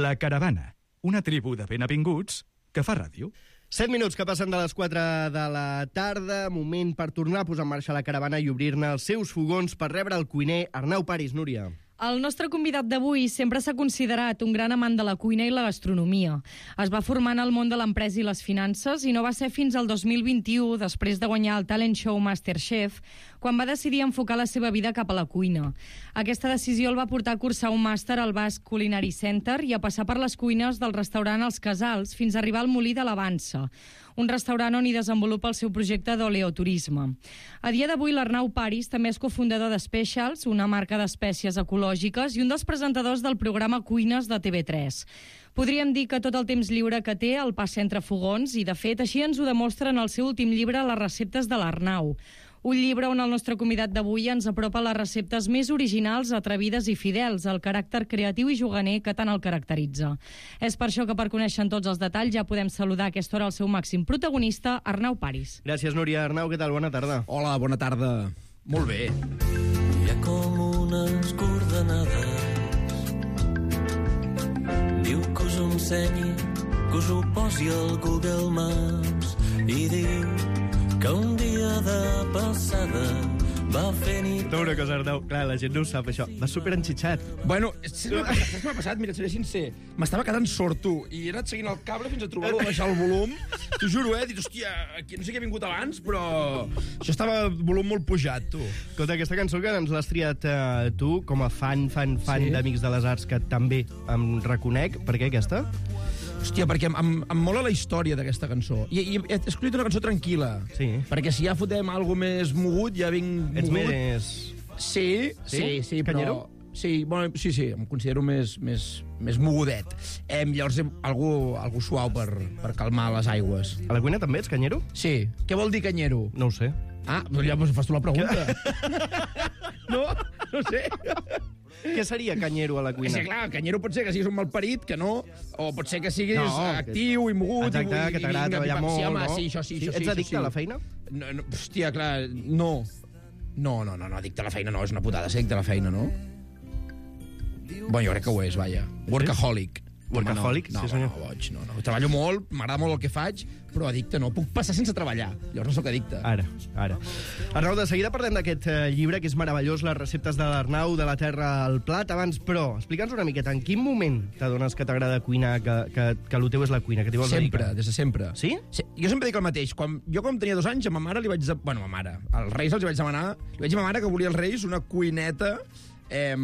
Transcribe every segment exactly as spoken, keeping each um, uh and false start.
La Caravana, una tribu de benvinguts que fa ràdio. Set minuts que passen de les quatre de la tarda, moment per tornar a posar en marxa la caravana i obrir-ne els seus fogons per rebre el cuiner Arnau Paris. Núria. El nostre convidat d'avui sempre s'ha considerat un gran amant de la cuina i la gastronomia. Es va formar en el món de l'empresa i les finances i no va ser fins al dos mil vint-i-u, després de guanyar el talent show MasterChef, quan va decidir enfocar la seva vida cap a la cuina. Aquesta decisió el va portar a cursar un màster al Basque Culinary Center i a passar per les cuines del restaurant Els Casals fins a arribar al Molí de l'Avança, un restaurant on hi desenvolupa el seu projecte d'oleoturisme. A dia d'avui, l'Arnau Paris també és cofundador de Specials, una marca d'espècies ecològiques, i un dels presentadors del programa Cuines de T V tres. Podríem dir que tot el temps lliure que té el passa entre fogons i, de fet, així ens ho demostra en el seu últim llibre Les receptes de l'Arnau. Un llibre on el nostre convidat d'avui ens apropa les receptes més originals, atrevides i fidels, al caràcter creatiu i juganer que tant el caracteritza. És per això que, per conèixer tots els detalls, ja podem saludar a aquesta hora el seu màxim protagonista, Arnau Paris. Gràcies, Núria. Arnau, què tal? Bona tarda. Hola, bona tarda. Molt bé. Hi ha com unes coordenades. Diu que us ho ensenyi, que us ho posi al Google Maps i diu que un dia de passada va fer nit... Tu una cosa, Arnau. Clar, la gent no ho sap, això. Va superenxitxat. Bueno, saps què m'ha passat? Mira, seré sincer. M'estava quedant sord, tu, i he anat seguint el cable fins a trobar-lo, a baixar el volum. T'ho juro, eh? He dit, hòstia, aquí, no sé què ha vingut abans, però això estava volum molt pujat, tu. Escolta, aquesta cançó que ens l'has triat eh, tu, com a fan, fan, fan Sí. d'Amics de les Arts, que també em reconec. Per què aquesta? Hòstia, perquè em, em, em mola la història d'aquesta cançó. I, i he escollit una cançó tranquil·la. Sí. Perquè si ja fotem alguna més mogut, ja vinc Ets mogut. més... Sí, Sí? sí, sí, Canyero? però... Sí, bueno, sí, sí, em considero més, més, més mogudet. Eh, llavors, eh, algú, algú suau per, per calmar les aigües. A la cuina també ets canyero? Sí. Què vol dir canyero? No ho sé. Ah, doncs ja doncs fas tu la pregunta. No? No sé. Què seria canyero a la És cuina? que, clar, canyero pot ser que siguis un malparit, que no, o pot ser que siguis No, que- actiu i mogut. Exacte, i, que t'agrada vinga, treballar pim, pam. molt, Sí, home, no? sí, això sí, Sí, això sí. ets això addicte sí. a la feina? No, no, hòstia, clar, no. No, no, no, no, addicte a la feina no, és una putada ser addicte a la feina, no? Bueno, jo crec que ho és, vaja. Workaholic. Workaholic? No, Sí, no, senyor. no, boig, no, no. Treballo molt, m'agrada molt el que faig, però addicte no. Puc passar sense treballar, llavors no sóc addicte. Ara, ara. Arnau, de seguida parlem d'aquest eh, llibre, que és meravellós, les receptes de l'Arnau, de la terra al plat. Abans, però, explica'ns una miqueta, en quin moment t'adones que t'agrada cuinar, que, que, que el teu és la cuina, que t'hi vols Sempre, dedicar? des de sempre. Sí? Sí? Jo sempre dic el mateix. Quan, jo, quan tenia dos anys, a ma mare li vaig... De... Bueno, a ma mare. Als Reis els vaig demanar... Li vaig dir a ma mare que volia als Reis una cuineta eh,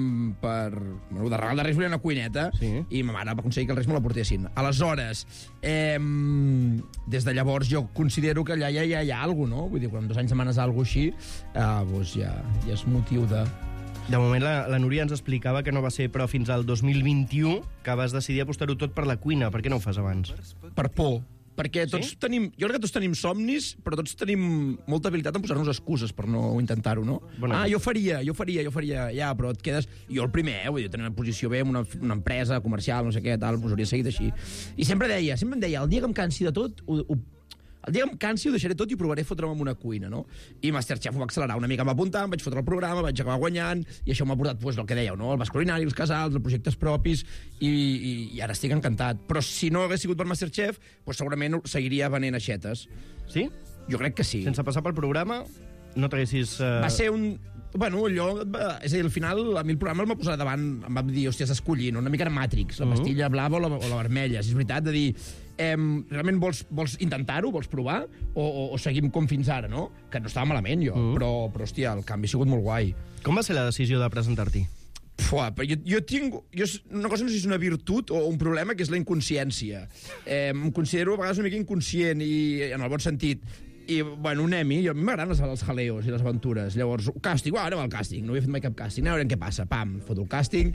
per... Bueno, de regal de Reis volia una cuineta Sí. i ma mare va aconseguir que els Reis me la portessin. Aleshores, eh, des de llavors jo considero que allà ja, ja hi ha alguna cosa, no? Vull dir, quan amb dos anys demanes alguna cosa així, eh, doncs ja, ja és motiu de... De moment, la, la Núria ens explicava que no va ser, però fins al dos mil vint-i-u, que vas decidir apostar-ho tot per la cuina. Per què no ho fas abans? Per por. Perquè tots Sí? tenim... Jo crec que tots tenim somnis, però tots tenim molta habilitat en posar-nos excuses per no intentar-ho, no? Bona ah, cosa. jo faria, jo faria, jo faria... Ja, però et quedes... Jo el primer, eh? Vull dir, tenir una posició bé en una, una empresa comercial, no sé què, tal, us hauria seguit així. I sempre deia, sempre em deia, el dia que em cansi de tot, ho, ho, el dia que em cansi ho deixaré tot i provaré fotre'm en una cuina, no? I Masterchef ho va accelerar una mica, em va apuntar, em vaig fotre el programa, vaig acabar guanyant, i això m'ha portat, pues, el que dèieu, no? El Basc Culinari, els casals, els projectes propis, i, i, i ara estic encantat. Però si no hagués sigut per Masterchef, pues, segurament seguiria venent aixetes. Sí? Jo crec que sí. Sense passar pel programa, no t'haguessis... Uh... Va ser un... Bueno, allò... És a dir, al final, a mi el programa el va posar davant, em va dir, hòstia, has d'escollir, no? Una mica era Matrix, la pastilla blava o la, o la vermella. Si és veritat, de dir... Eh, realment vols, vols intentar-ho, vols provar, o, o, o seguim com fins ara, no? Que no estava malament, jo, mm. però, però, hòstia, el canvi ha sigut molt guai. Com va ser la decisió de presentar-t'hi? Fua, però jo, jo tinc... Jo, una cosa no sé si és una virtut o un problema, que és la inconsciència. Eh, em considero a vegades una mica inconscient, i en el bon sentit. I, bueno, un Emmy, jo, a mi m'agraden els, els jaleos i les aventures. Llavors, càsting, uah, anem al càsting. No havia fet mai cap càsting, anem a veure què passa. Pam, foto el càsting,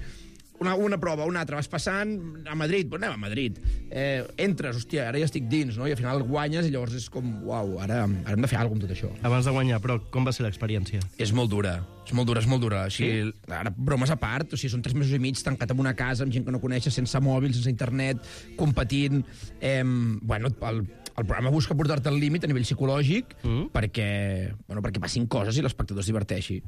una, una prova, una altra, vas passant a Madrid, doncs anem a Madrid. Eh, entres, hòstia, ara ja estic dins, no? I al final guanyes i llavors és com, uau, ara, ara hem de fer alguna cosa amb tot això. Abans de guanyar, però com va ser l'experiència? És molt dura, és molt dura, és molt dura. Així, Sí? ara, bromes a part, o sigui, són tres mesos i mig tancat en una casa amb gent que no coneixes, sense mòbil, sense internet, competint. Eh, bueno, el, el programa busca portar-te al límit a nivell psicològic Mm. perquè, bueno, perquè passin coses i l'espectador es diverteixi.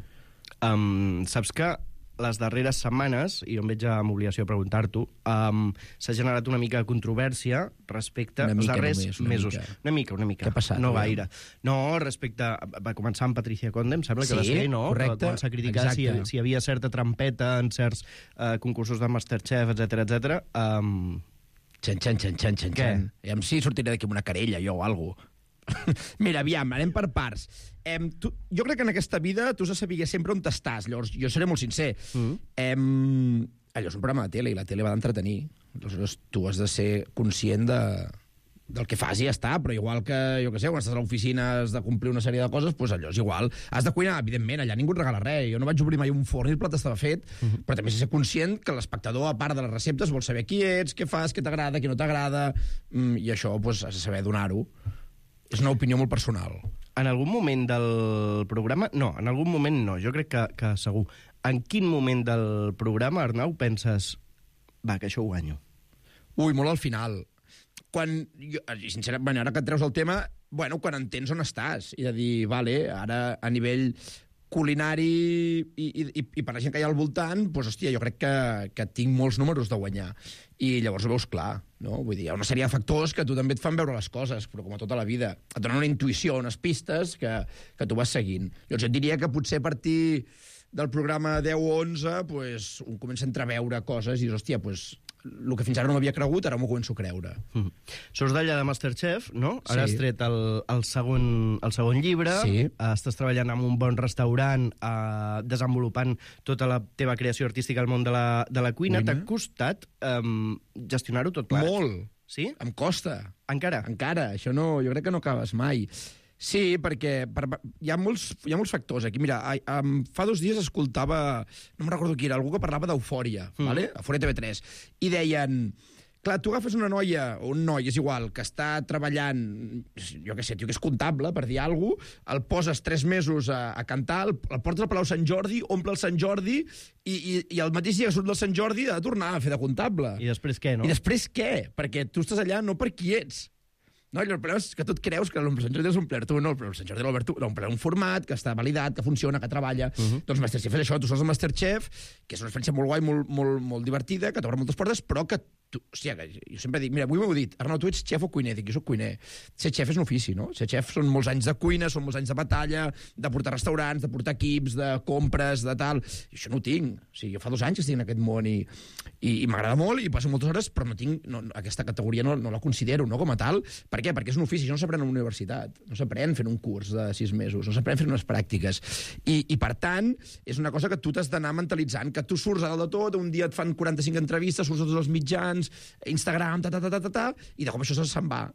Um, saps que les darreres setmanes, i jo em veig amb obligació de preguntar-t'ho, um, s'ha generat una mica de controvèrsia respecte als darrers només, una mesos. Mica. Una mica, una mica. Què ha passat? No Aviam. gaire. No, respecte... Va començar amb Patricia Conde, em sembla que Sí, va ser, no? correcte. Que va començar a criticar si, Exacte. si hi havia certa trampeta en certs uh, concursos de Masterchef, etcètera, etcètera. Um, Xen, xen, xen, xen, xen, Què? xen. Aviam si sortiré d'aquí amb una querella, jo, o alguna cosa. Mira, aviam, anem per parts. Em, tu, jo crec que en aquesta vida tu has de saber sempre on t'estàs. Llavors, jo seré molt sincer. Mm. Em, allò és un programa de tele, i la tele va d'entretenir. Aleshores, tu has de ser conscient de, del que fas i ja està, però igual que, jo què sé, quan estàs a l'oficina has de complir una sèrie de coses, doncs allò és igual. Has de cuinar, evidentment, allà ningú et regala res. Jo no vaig obrir mai un forn i el plat estava fet, mm-hmm. però també has de ser conscient que l'espectador, a part de les receptes, vol saber qui ets, què fas, què t'agrada, què no t'agrada, mm, i això doncs, has de saber donar-ho. És una opinió molt personal. En algun moment del programa... No, en algun moment no, jo crec que, que segur. En quin moment del programa, Arnau, penses va, que això ho guanyo? Ui, molt al final. Quan, jo, sincerament, ara que et treus el tema, bueno, quan entens on estàs, i de dir, vale, ara a nivell culinari i, i, i per la gent que hi ha al voltant, doncs, hòstia, jo crec que, que tinc molts números de guanyar. I llavors ho veus clar, no? Vull dir, hi ha una sèrie de factors que a tu també et fan veure les coses, però com a tota la vida. Et donen una intuïció, unes pistes que, que tu vas seguint. Llavors jo et diria que potser a partir del programa deu o onze, pues, un comença a entreveure coses i dius, hòstia, pues, el que fins ara no m'havia cregut, ara m'ho començo a creure. Mm. Surts d'allà de Masterchef, no? Ara Sí. has tret el, el, segon, el segon llibre, Sí. estàs treballant en un bon restaurant, eh, desenvolupant tota la teva creació artística al món de la, de la cuina. Cuina. T'ha costat um, gestionar-ho tot plegat? Molt. Sí? Em costa. Encara? Encara. Això no, jo crec que no acabes mai. Sí, perquè per, hi, ha molts, hi ha molts factors aquí. Mira, a, um, fa dos dies escoltava, no me'n recordo qui era, algú que parlava d'Eufòria, mm. vale? Eufòria T V tres, i deien, clar, tu agafes una noia, o un noi, és igual, que està treballant, jo què sé, tio, que és comptable, per dir alguna cosa, el poses tres mesos a, a cantar, el, el portes al Palau Sant Jordi, omple el Sant Jordi, i, i, i el mateix dia que surt del Sant Jordi ha de tornar a fer de comptable. I després què, no? I després què? Perquè tu estàs allà no per qui ets. No, el problema és que tu et creus que l'Omple Sant Jordi és omplert tu, no, però el Sant Jordi l'ha omplert un format, que està validat, que funciona, que treballa. Uh -huh. Doncs Masterchef és això, tu surts al Masterchef, que és una experiència molt guai, molt, molt, molt divertida, que t'obre moltes portes, però que tu, hòstia, jo sempre dic, mira, avui m'heu dit, Arnau, tu ets xef o cuiner? Dic, jo soc cuiner. Ser xef és un ofici, no? Ser xef són molts anys de cuina, són molts anys de batalla, de portar restaurants, de portar equips, de compres, de tal. I això no ho tinc. O sigui, jo fa dos anys que estic en aquest món i, i, i m'agrada molt i passo moltes hores, però no tinc, no, aquesta categoria no, no la considero, no, com a tal. Per què? Perquè és un ofici, això no s'aprèn a la universitat, no s'aprèn fent un curs de sis mesos, no s'aprèn fent unes pràctiques. I, i per tant, és una cosa que tu t'has d'anar mentalitzant, que tu surts a dalt de tot, un dia et fan quaranta-cinc entrevistes, surts a tots els mitjans, Instagram, ta, ta, ta, ta, ta, ta, i de cop això se'n va.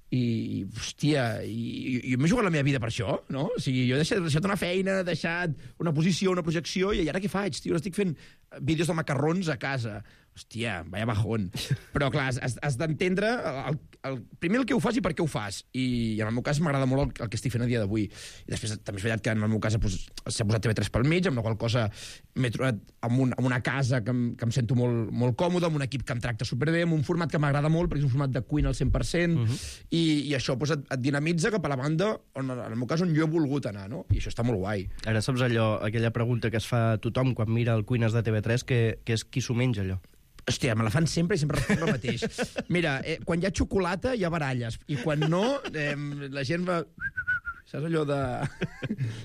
I, hòstia, i, i, jo m'he jugat la meva vida per això, no? O sigui, jo he deixat, deixat una feina, he deixat una posició, una projecció, i ara què faig, tio? Estic fent vídeos de macarrons a casa. Hòstia, vaya bajón. Però, clar, has, has d'entendre el, el, primer el que ho fas i per què ho fas. I, i en el meu cas m'agrada molt el, el que estic fent a dia d'avui. I després també és veritat que en el meu cas pues, s'ha posat T V tres pel mig, amb la qual cosa m'he trobat amb, un, amb una casa que em, que em sento molt, molt còmode, amb un equip que em tracta superbé, amb un format que m'agrada molt, perquè és un format de cuina al cent per cent, uh -huh. i, i això pues, et, et dinamitza cap a la banda, on, en el meu cas, on jo he volgut anar, no? I això està molt guai. Ara saps allò, aquella pregunta que es fa tothom quan mira el Cuines de T V tres, que, que és qui s'ho menja, allò? Hòstia, me la fan sempre i sempre responc el mateix. Mira, eh, quan hi ha xocolata hi ha baralles, i quan no, eh, la gent va... Saps allò de...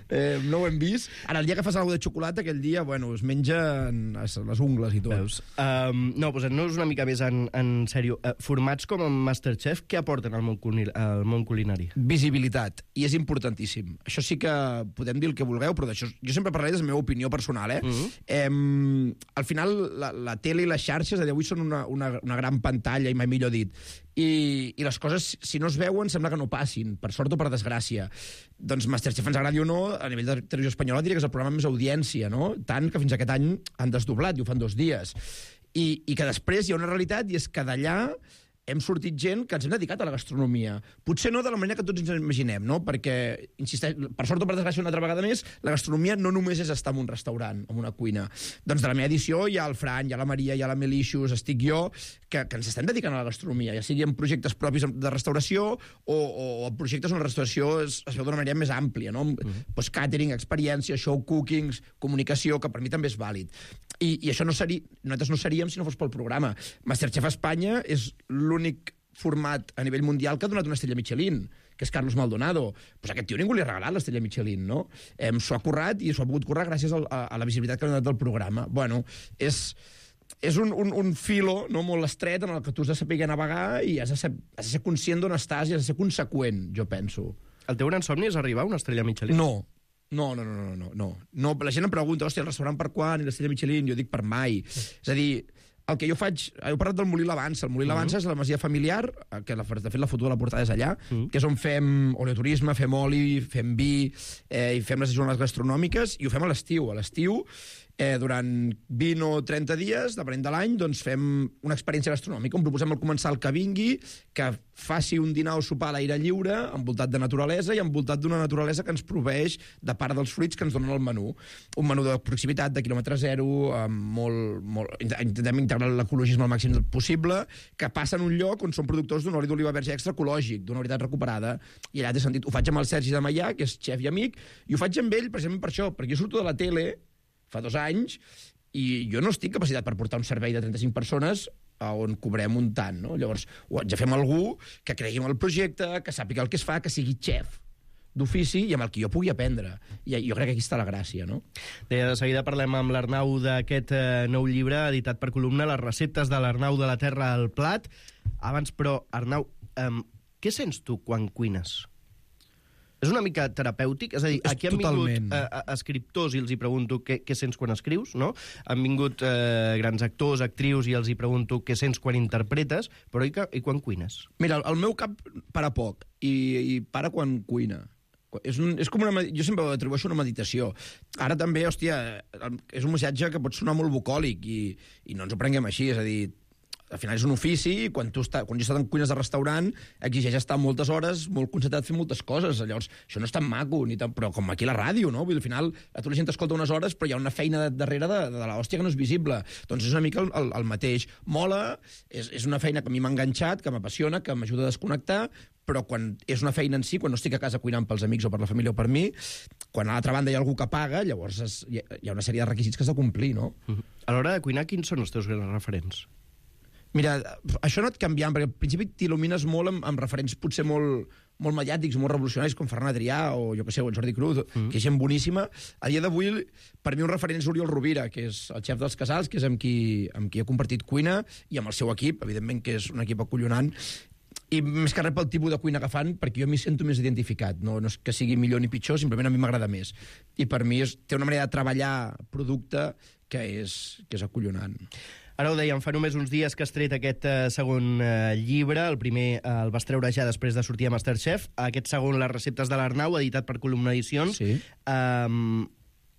eh, no ho hem vist. Ara, el dia que fas alguna de xocolata, aquell dia, bueno, es mengen les ungles i tot. Veus? Um, no, posant-nos una mica més en, en sèrio. Uh, formats com en Masterchef, què aporten al món, al món culinari? Visibilitat, i és importantíssim. Això sí que podem dir el que vulgueu, però d'això jo sempre parlaré de la meva opinió personal, eh? Uh-huh. eh al final, la, la tele i les xarxes a dia d'avui són una, una, una gran pantalla, i mai millor dit, i, i les coses, si no es veuen, sembla que no passin, per sort o per desgràcia. Doncs Masterchef, ens agradi o no, a nivell de televisió espanyola diria que és el programa amb més audiència, no? Tant que fins aquest any han desdoblat i ho fan dos dies. I, i que després hi ha una realitat, i és que d'allà hem sortit gent que ens hem dedicat a la gastronomia. Potser no de la manera que tots ens imaginem, no? Perquè, insisteix, per sort o per desgràcia una altra vegada més, la gastronomia no només és estar en un restaurant, en una cuina. Doncs de la meva edició hi ha el Fran, hi ha la Maria, hi ha la Melicious, estic jo, que, que ens estem dedicant a la gastronomia, ja sigui en projectes propis de restauració o, o projectes on la restauració es, es veu d'una manera més àmplia, no? Mm-hmm. Pues catering, experiència, show cookings, comunicació, que per mi també és vàlid. I, i això no seria, nosaltres no seríem si no fos pel programa. Masterchef Espanya és l'únic format a nivell mundial que ha donat una estrella Michelin, que és Carlos Maldonado. Pues aquest tio ningú li ha regalat l'estrella Michelin, no? Eh, s'ho ha currat i s'ho ha pogut currar gràcies a, a, a la visibilitat que ha donat del programa. Bueno, és, és un, un, un filo no, molt estret en el que tu has de saber navegar i has de ser, has de ser conscient d'on estàs i has de ser conseqüent, jo penso. El teu gran somni és arribar a una estrella Michelin? No. No, no, no, no, no, no. no. La gent em pregunta, hòstia, el restaurant per quan i l'estrella Michelin? Jo dic per mai. És a dir, el que jo faig... Heu parlat del Molí l'Avança. El Molí l'Avança uh -huh. és la masia familiar, que de fet la foto de la portada és allà, uh -huh. que és on fem oleoturisme, fem oli, fem vi, eh, i fem les jornades gastronòmiques, i ho fem a l'estiu. A l'estiu, eh, durant vint o trenta dies, depenent de l'any, doncs fem una experiència gastronòmica, on proposem al comensal que vingui, que faci un dinar o sopar a l'aire lliure, envoltat de naturalesa i envoltat d'una naturalesa que ens proveeix de part dels fruits que ens donen el menú. Un menú de proximitat, de quilòmetre zero, amb molt, molt, intentem integrar l'ecologisme al màxim possible, que passa en un lloc on són productors d'un oli d'oliva verge extra ecològic, d'una veritat recuperada. I allà té sentit. Ho faig amb el Sergi de Maià, que és xef i amic, i ho faig amb ell precisament per això, perquè jo surto de la tele fa dos anys i jo no estic capacitat per portar un servei de trenta-cinc persones on cobrem un tant, no? Llavors, ho haig de fer amb algú que cregui en el projecte, que sàpiga el que es fa, que sigui xef d'ofici i amb el que jo pugui aprendre. I jo crec que aquí està la gràcia, no? Deia, de seguida parlem amb l'Arnau d'aquest eh, nou llibre editat per Columna, Les receptes de l'Arnau de la Terra al Plat. Abans, però, Arnau, eh, què sents tu quan cuines? És una mica terapèutic? És a dir, aquí han vingut eh, escriptors i els hi pregunto què, què sents quan escrius, no? Han vingut eh, grans actors, actrius, i els hi pregunto què sents quan interpretes, però i, que, i quan cuines? Mira, el meu cap para poc i, i para quan cuina. És, un, és com una... Jo sempre ho atribueixo una meditació. Ara també, hòstia, és un missatge que pot sonar molt bucòlic i, i no ens ho prenguem així, és a dir, al final és un ofici i quan, tu està, quan jo he estat en cuines de restaurant exigeix estar moltes hores, molt concentrat fent moltes coses. Llavors, això no és tan maco, ni tan, però com aquí a la ràdio, no? Vull dir, al final, a tu la gent t'escolta unes hores, però hi ha una feina darrere de, de l'hòstia que no és visible. Doncs és una mica el, el, el mateix. Mola, és, és una feina que a mi m'ha enganxat, que m'apassiona, que m'ajuda a desconnectar, però quan és una feina en si, quan no estic a casa cuinant pels amics o per la família o per mi, quan a l'altra banda hi ha algú que paga, llavors es, hi ha una sèrie de requisits que has de complir, no? Uh-huh. A l'hora de cuinar, quins són els teus grans referents? Mira, això no et canviant, perquè al principi t'il·lumines molt amb, amb referents potser molt, molt mediàtics, molt revolucionaris, com Ferran Adrià o jo que sé, o el Jordi Cruz, mm. que és gent boníssima. A dia d'avui, per mi un referent és Oriol Rovira, que és el xef dels Casals, que és amb qui, amb qui he compartit cuina, i amb el seu equip, evidentment que és un equip acollonant, i més que res pel tipus de cuina que fan, perquè jo m'hi sento més identificat. No, no és que sigui millor ni pitjor, simplement a mi m'agrada més. I per mi és, té una manera de treballar producte que és, que és acollonant. Ara ho dèiem, fa només uns dies que has tret aquest eh, segon eh, llibre. El primer eh, el vas treure ja després de sortir a Masterchef. Aquest segon, Les receptes de l'Arnau, editat per Columna Edicions. Sí. Um,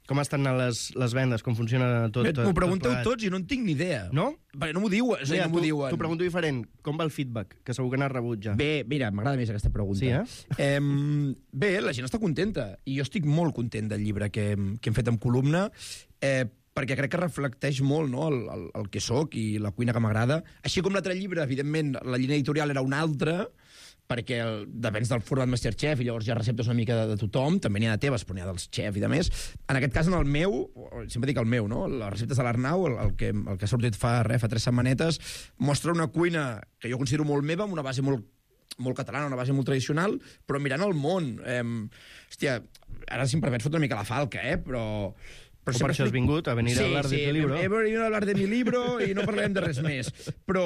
com estan les, les vendes? Com funciona tot? M'ho pregunteu tot tots i no en tinc ni idea. No? Perquè no m'ho diuen. Sí, no m'ho diuen. T'ho pregunto diferent. Com va el feedback? Que segur que n'has rebut ja. Bé, mira, m'agrada més aquesta pregunta. Sí, eh? eh? Bé, la gent està contenta. I jo estic molt content del llibre que, que hem fet amb Columna. Eh, perquè crec que reflecteix molt, no?, el, el, el que sóc i la cuina que m'agrada. Així com l'altre llibre, evidentment, la línia editorial era una altra, perquè el, depèn del format Masterchef i llavors hi ha receptes una mica de, de tothom, també n'hi ha de teves, però n'hi ha dels xef i de més. En aquest cas, en el meu, sempre dic el meu, no?, les receptes de l'Arnau, el, el, que, el que ha sortit fa, res, fa tres setmanetes, mostra una cuina que jo considero molt meva, amb una base molt molt catalana, una base molt tradicional, però mirant el món. Eh, hòstia, ara si em permets fotre una mica la falca, eh, però... Però per això has vingut, a venir sí, a hablar sí, de tu libro. Sí, he venido a hablar de mi libro i no parlarem de res més. Però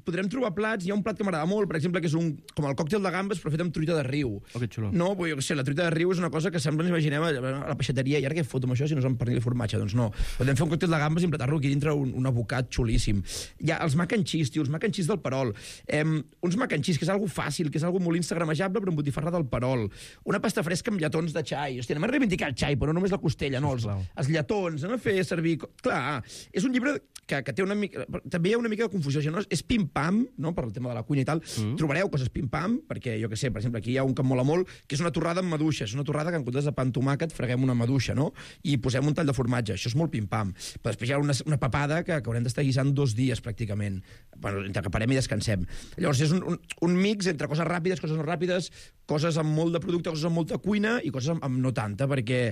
podrem trobar plats, hi ha un plat que m'agrada molt, per exemple, que és un, com el còctel de gambes, però fet amb truita de riu. Oh, que xulo. No, jo què sé, la truita de riu és una cosa que sempre ens imaginem a la peixateria, i ara què foto amb això si no és amb pernil i formatge? Doncs no. Podem fer un còctel de gambes i emplatar-lo aquí dintre un, un abocat xulíssim. Hi ha els mac and cheese, tio, els mac and cheese del Perol. Eh, uns mac and cheese, que és algo fàcil, que és algo molt instagramejable, però amb botifarra del Perol. Una pasta fresca amb lletons de xai. Hòstia, anem a reivindicar el xai, però no només la costella, no, els, els lletons, anem a fer servir... Clar, és un llibre que, que té una mica... També hi ha una mica de confusió. No? És piment pim-pam, no?, per el tema de la cuina i tal, mm. trobareu coses pim-pam, perquè, jo que sé, per exemple, aquí hi ha un que em mola molt, que és una torrada amb maduixa. És una torrada que en comptes de pa amb tomàquet freguem una maduixa, no?, i posem un tall de formatge. Això és molt pim-pam. Però després hi ha una, una papada que, que haurem d'estar guisant dos dies, pràcticament. Bueno, entre que parem i descansem. Llavors, és un, un, un mix entre coses ràpides, coses no ràpides, coses amb molt de producte, coses amb molta cuina i coses amb, amb no tanta, perquè...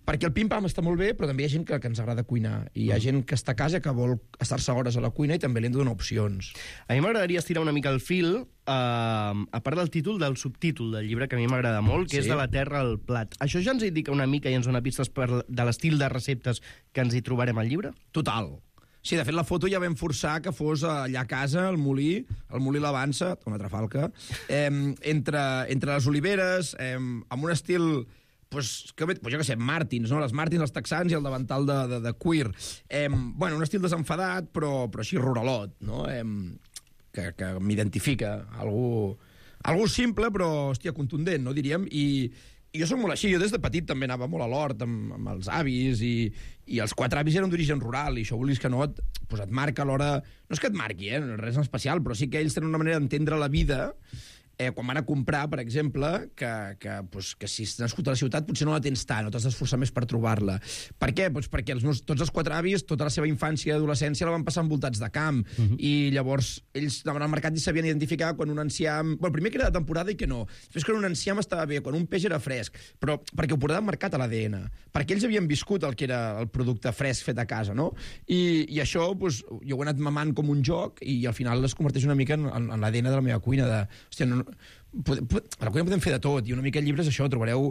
Perquè el pim-pam està molt bé, però també hi ha gent que, que ens agrada cuinar. I hi ha gent que està a casa que vol estar-se hores a la cuina i també li hem de donar opcions. A mi m'agradaria estirar una mica el fil, eh, a part del títol, del subtítol del llibre, que a mi m'agrada molt, que sí. és De la terra al plat. Això ja ens indica una mica i ens dona pistes per, de l'estil de receptes que ens hi trobarem al llibre? Total. Sí, de fet, la foto ja vam forçar que fos allà a casa, al molí, el molí l'Avança, una altra falca, eh, entre, entre les oliveres, eh, amb un estil... Pues, que, pues jo què sé, Martins, no? Les Martins, els texans i el davantal de, de, de cuir. Eh, bueno, un estil desenfadat, però, però així ruralot, no? Eh, que que m'identifica. Algú, algú simple, però, hòstia, contundent, no diríem? I, i jo soc molt així. Jo des de petit també anava molt a l'hort amb, amb els avis i, i els quatre avis eren d'origen rural i això, vulguis que no, et, pues et marca a l'hora... No és que et marqui, eh? Res en especial, però sí que ells tenen una manera d'entendre la vida eh, quan van a comprar, per exemple, que, que, pues, que si has nascut a la ciutat potser no la tens tant, no t'has d'esforçar més per trobar-la. Per què? Pues perquè els meus, tots els quatre avis, tota la seva infància i adolescència la van passar envoltats de camp, uh-huh. i llavors ells anaven al mercat i sabien identificar quan un enciam... Bueno, primer que era de temporada i que no. Després que un enciam estava bé, quan un peix era fresc, però perquè ho portaven marcat a l'A D N, perquè ells havien viscut el que era el producte fresc fet a casa, no? I, i això, pues, jo ho he anat mamant com un joc i al final es converteix una mica en, en, en l'A D N de la meva cuina, de... Hòstia, no, Pod, pod, a la cuina podem fer de tot, i una mica llibres això, trobareu,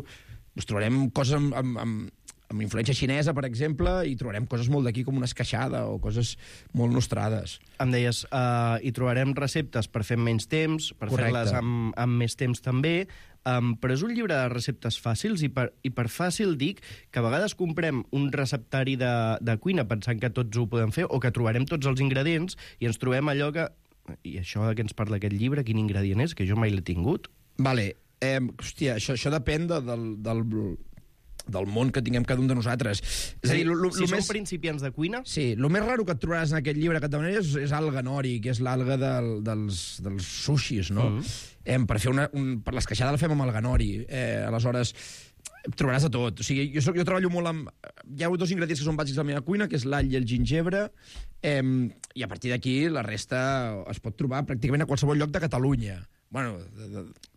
us trobarem coses amb, amb, amb, amb influència xinesa, per exemple, i trobarem coses molt d'aquí, com una esqueixada, o coses molt nostrades. Em deies, uh, hi trobarem receptes per fer menys temps, per fer-les amb, amb més temps també, um, però és un llibre de receptes fàcils, i per, i per fàcil dic que a vegades comprem un receptari de, de cuina pensant que tots ho podem fer, o que trobarem tots els ingredients, i ens trobem allò que... I això que ens parla aquest llibre, quin ingredient és? Que jo mai l'he tingut. Vale. Eh, hòstia, això, això depèn de, del, del, del món que tinguem cada un de nosaltres. És a dir, lo, lo, si lo som més... principiants de cuina... Sí, el més raro que et trobaràs en aquest llibre que et demanaré és, és alga nori, que és l'alga del, dels, dels sushis, no? Mm. Eh, per fer una, un, per l'esqueixada la fem amb alga nori. Eh, aleshores, trobaràs de tot. O sigui, jo, soc, jo treballo molt amb... Hi ha dos ingredients que són bàsics de la meva cuina, que és l'all i el gingebre, eh, i a partir d'aquí la resta es pot trobar pràcticament a qualsevol lloc de Catalunya. Bueno,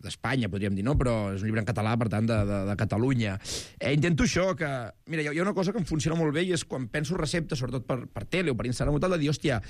d'Espanya, de, podríem dir, no? Però és un llibre en català, per tant, de, de, de Catalunya. Eh, intento això, que... Mira, hi ha una cosa que em funciona molt bé, i és quan penso receptes, sobretot per, per tele o per Instagram o tal, de dir, hòstia,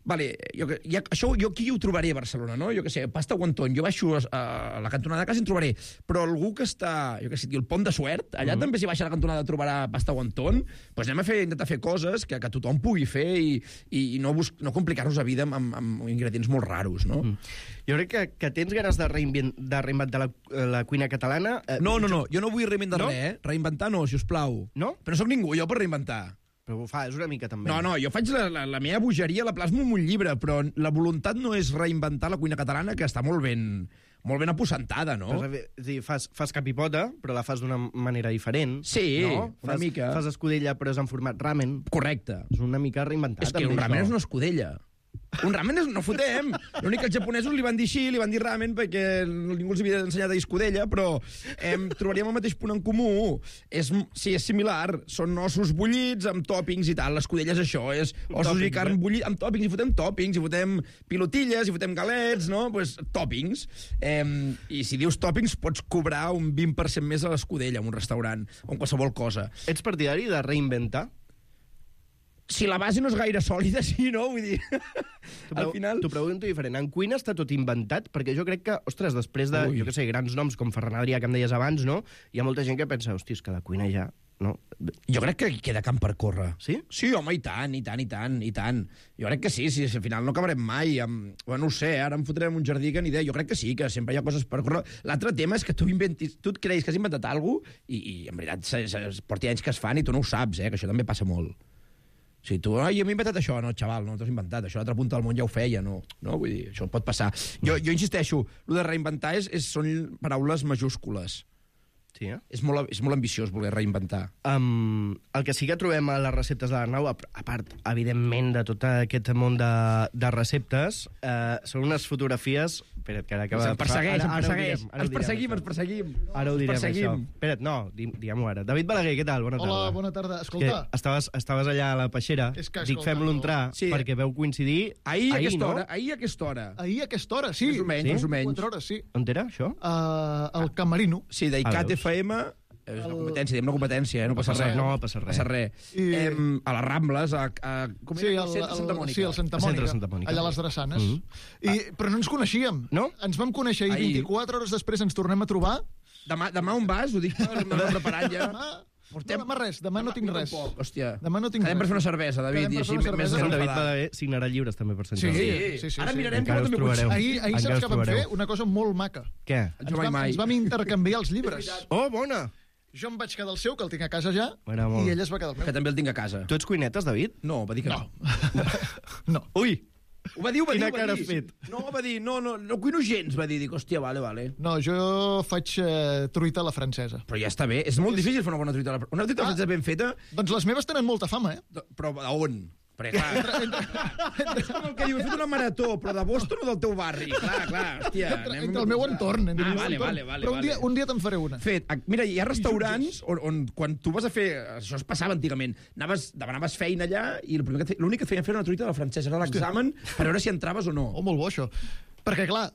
vale, jo, ja, això jo aquí ho trobaré a Barcelona, no? Jo què sé, pasta wonton, jo baixo a, a la cantonada de casa i en trobaré, però algú que està, jo què sé, el Pont de Suert, allà mm. també si baixa a la cantonada trobarà pasta wonton, doncs anem a fer, intentar fer coses que, que tothom pugui fer i, i, i no, no complicar-nos la vida amb, amb, amb ingredients molt raros, no? Mm. Jo crec que, que tens ganes de, reinvent, de reinventar la, la cuina catalana. Eh, no, no, no, jo no vull reinventar no? res, eh? Reinventar no, si us plau. No? Però no soc ningú, jo, per reinventar. Però ho fa, és una mica també. No, no, jo faig la, la, la meva bogeria, la plasmo en un llibre, però la voluntat no és reinventar la cuina catalana, que està molt ben, molt ben aposentada, no? Fas, és dir, fas, fas capipota, però la fas d'una manera diferent. Sí, no? una fas, mica. Fas escudella, però és en format ramen. Correcte. És una mica reinventat. És que un ramen és una escudella. Un ramen és, no fotem. L'únic que els japonesos li van dir així, li van dir ramen perquè ningú els havia ensenyat a dir escudella, però eh, trobaríem el mateix punt en comú. És, sí, és similar. Són ossos bullits amb tòpings i tal. L'escudella és això, és ossos tòpings, i carn eh? bullit amb tòpings. I fotem tòpings, i fotem pilotilles, i fotem galets, no? Pues, tòpings. Eh, I si dius tòpings, pots cobrar un vint per cent més a l'escudella en un restaurant o en qualsevol cosa. Ets partidari de reinventar? Si la base no és gaire sòlida, sí, no? Vull dir, al final... T'ho pregunto diferent. En cuina està tot inventat? Perquè jo crec que, ostres, després de, Ui. jo què sé, grans noms com Ferran Adrià, que em deies abans, no? Hi ha molta gent que pensa, hòstia, és que la cuina ja... No? Jo crec que queda camp per córrer. Sí? Sí, home, i tant, i tant, i tant, i tant. Jo crec que sí, sí, al final no acabarem mai. Amb... Bueno, no ho sé, ara em fotrem un jardí que ni idea. Jo crec que sí, que sempre hi ha coses per córrer. L'altre tema és que tu inventis, tu et creus que has inventat alguna cosa i, i en veritat se, se, porti anys que es fan i tu no ho saps, eh? Que això també passa molt. O sigui, tu, ai, jo m'he inventat això. No, xaval, no t'ho has inventat. Això a l'altra punta del món ja ho feia, no? No, vull dir, això pot passar. Jo, jo insisteixo, el de reinventar és, és, són paraules majúscules. Sí, eh? És molt, és molt ambiciós voler reinventar. Um, el que sí que trobem a les receptes de l'Arnau, a, a part, evidentment, de tot aquest món de, de receptes, uh, són unes fotografies... Espera't, que ara acaba Ens persegueix, ens persegueix. Ara ho Ens direm, perseguim, això. ens perseguim. Ara ho direm, Ens perseguim. això. Espera't, no, di- diguem-ho ara. David Balaguer, què tal? Bona tarda. Hola, bona tarda. Que Escolta, estaves, estaves allà a la peixera. És que, Dic, escolta, fem-lo no. entrar, Sí. perquè veu coincidir... Ahir, a aquesta no? hora, ahir a aquesta hora. ahir a aquesta hora, sí. Més o menys, Sí? més o menys. quatre hores, sí. On era, això? Uh, el Camerino. Sí, Ah, d'I C A T veus? F M... És una competència, diem una competència, eh? No passa res. No passa res. passa res. I- Em, a les Rambles, a, a, com Sí, era? el, Centre Santa Mònica. sí, el Santa El Mònica, centre Santa Mònica. allà a les Drassanes. Mhm. I, però no ens coneixíem. No? Ens vam conèixer ahir, Ahir. vint-i-quatre hores després ens tornem a trobar. Demà, demà on vas? Ho dic, m'ho preparant ja. Demà, Portem- no, demà res, demà no tinc Jo res. tampoc, hòstia. Demà no tinc Quedem per res. fer una cervesa, David, Quedem i per així fer una més cervesa. En David desenfadat. Balaguer signarà llibres també per Sant Sí, Jordi. Sí, sí, sí, ara sí. mirarem Encara que us no trobareu. Ahir, ahir Encara saps us que vam trobareu. fer? Una cosa molt maca. Què? Ens Jo mai, vam, mai. ens vam intercanviar els llibres. Oh, bona! Jo em vaig quedar el seu, que el tinc a casa ja, M'agrada molt. i ell es va quedar el Que meu. també el tinc a casa. Tu ets cuinetes, David? No, va dir que no. No. Ui! Ho va dir, ho va dir, Quina ho va cara dir. has fet? No, va dir, no, no, no cuino gens, va dir. Dic, hòstia, vale, vale. No, jo faig eh, truita a la francesa. Però ja està bé, és molt difícil fer una bona truita. a la- Una truita Ah. francesa ben feta, Doncs les meves tenen molta fama, eh? però a on? Perquè, clar, és com el que diu, he fet una marató, però de Boston o del teu barri? Clar, clar, hòstia. Entre, anem- entre el meu entorn. Entre Ah, el meu vale, entorn. vale, vale, Però un dia, vale. un dia te'n faré una. Fet, a- mira, hi ha restaurants on, on quan tu vas a fer... Això es passava antigament. Anaves, demanaves feina allà i el primer que et fe- l'únic que et feien fer era una truita de la francesa. Era l'examen per veure si entraves o no. Oh, molt bo, això. Perquè, clar,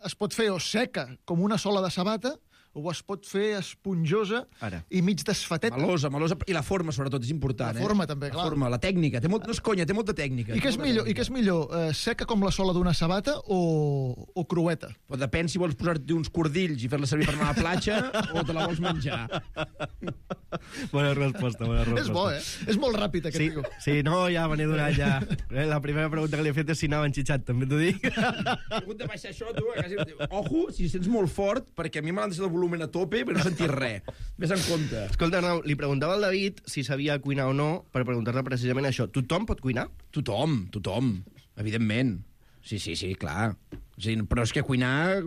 es pot fer o seca, com una sola de sabata, o es pot fer esponjosa Ara. i mig desfateta. Melosa, melosa. I la forma, sobretot, és important. La forma, eh? també, la clar. forma, la tècnica. Té molt, no és conya, té molta tècnica. I què és Té molta millor, i tècnica. què és millor eh, seca com la sola d'una sabata o, o crueta? Però depèn si vols posar-te uns cordills i fer-la servir per anar a la platja o te la vols menjar. Bona resposta, bona resposta. És bo, eh? És molt ràpid, aquest Sí, tio. sí, no, ja me n'he donat ja. Eh, La primera pregunta que li he fet és si anava enxitxat, també t'ho dic. He hagut de baixar això, tu. Quasi... Ojo, si sents molt fort, perquè a mi m'ha deixat el volum a tope, però no sentir res. Ves en compte. Escolta, Arnau, li preguntava al David si sabia cuinar o no, per preguntar-te precisament això. Tothom pot cuinar? Tothom, tothom, evidentment. Sí, sí, sí, clar. Sí, però és que cuinar...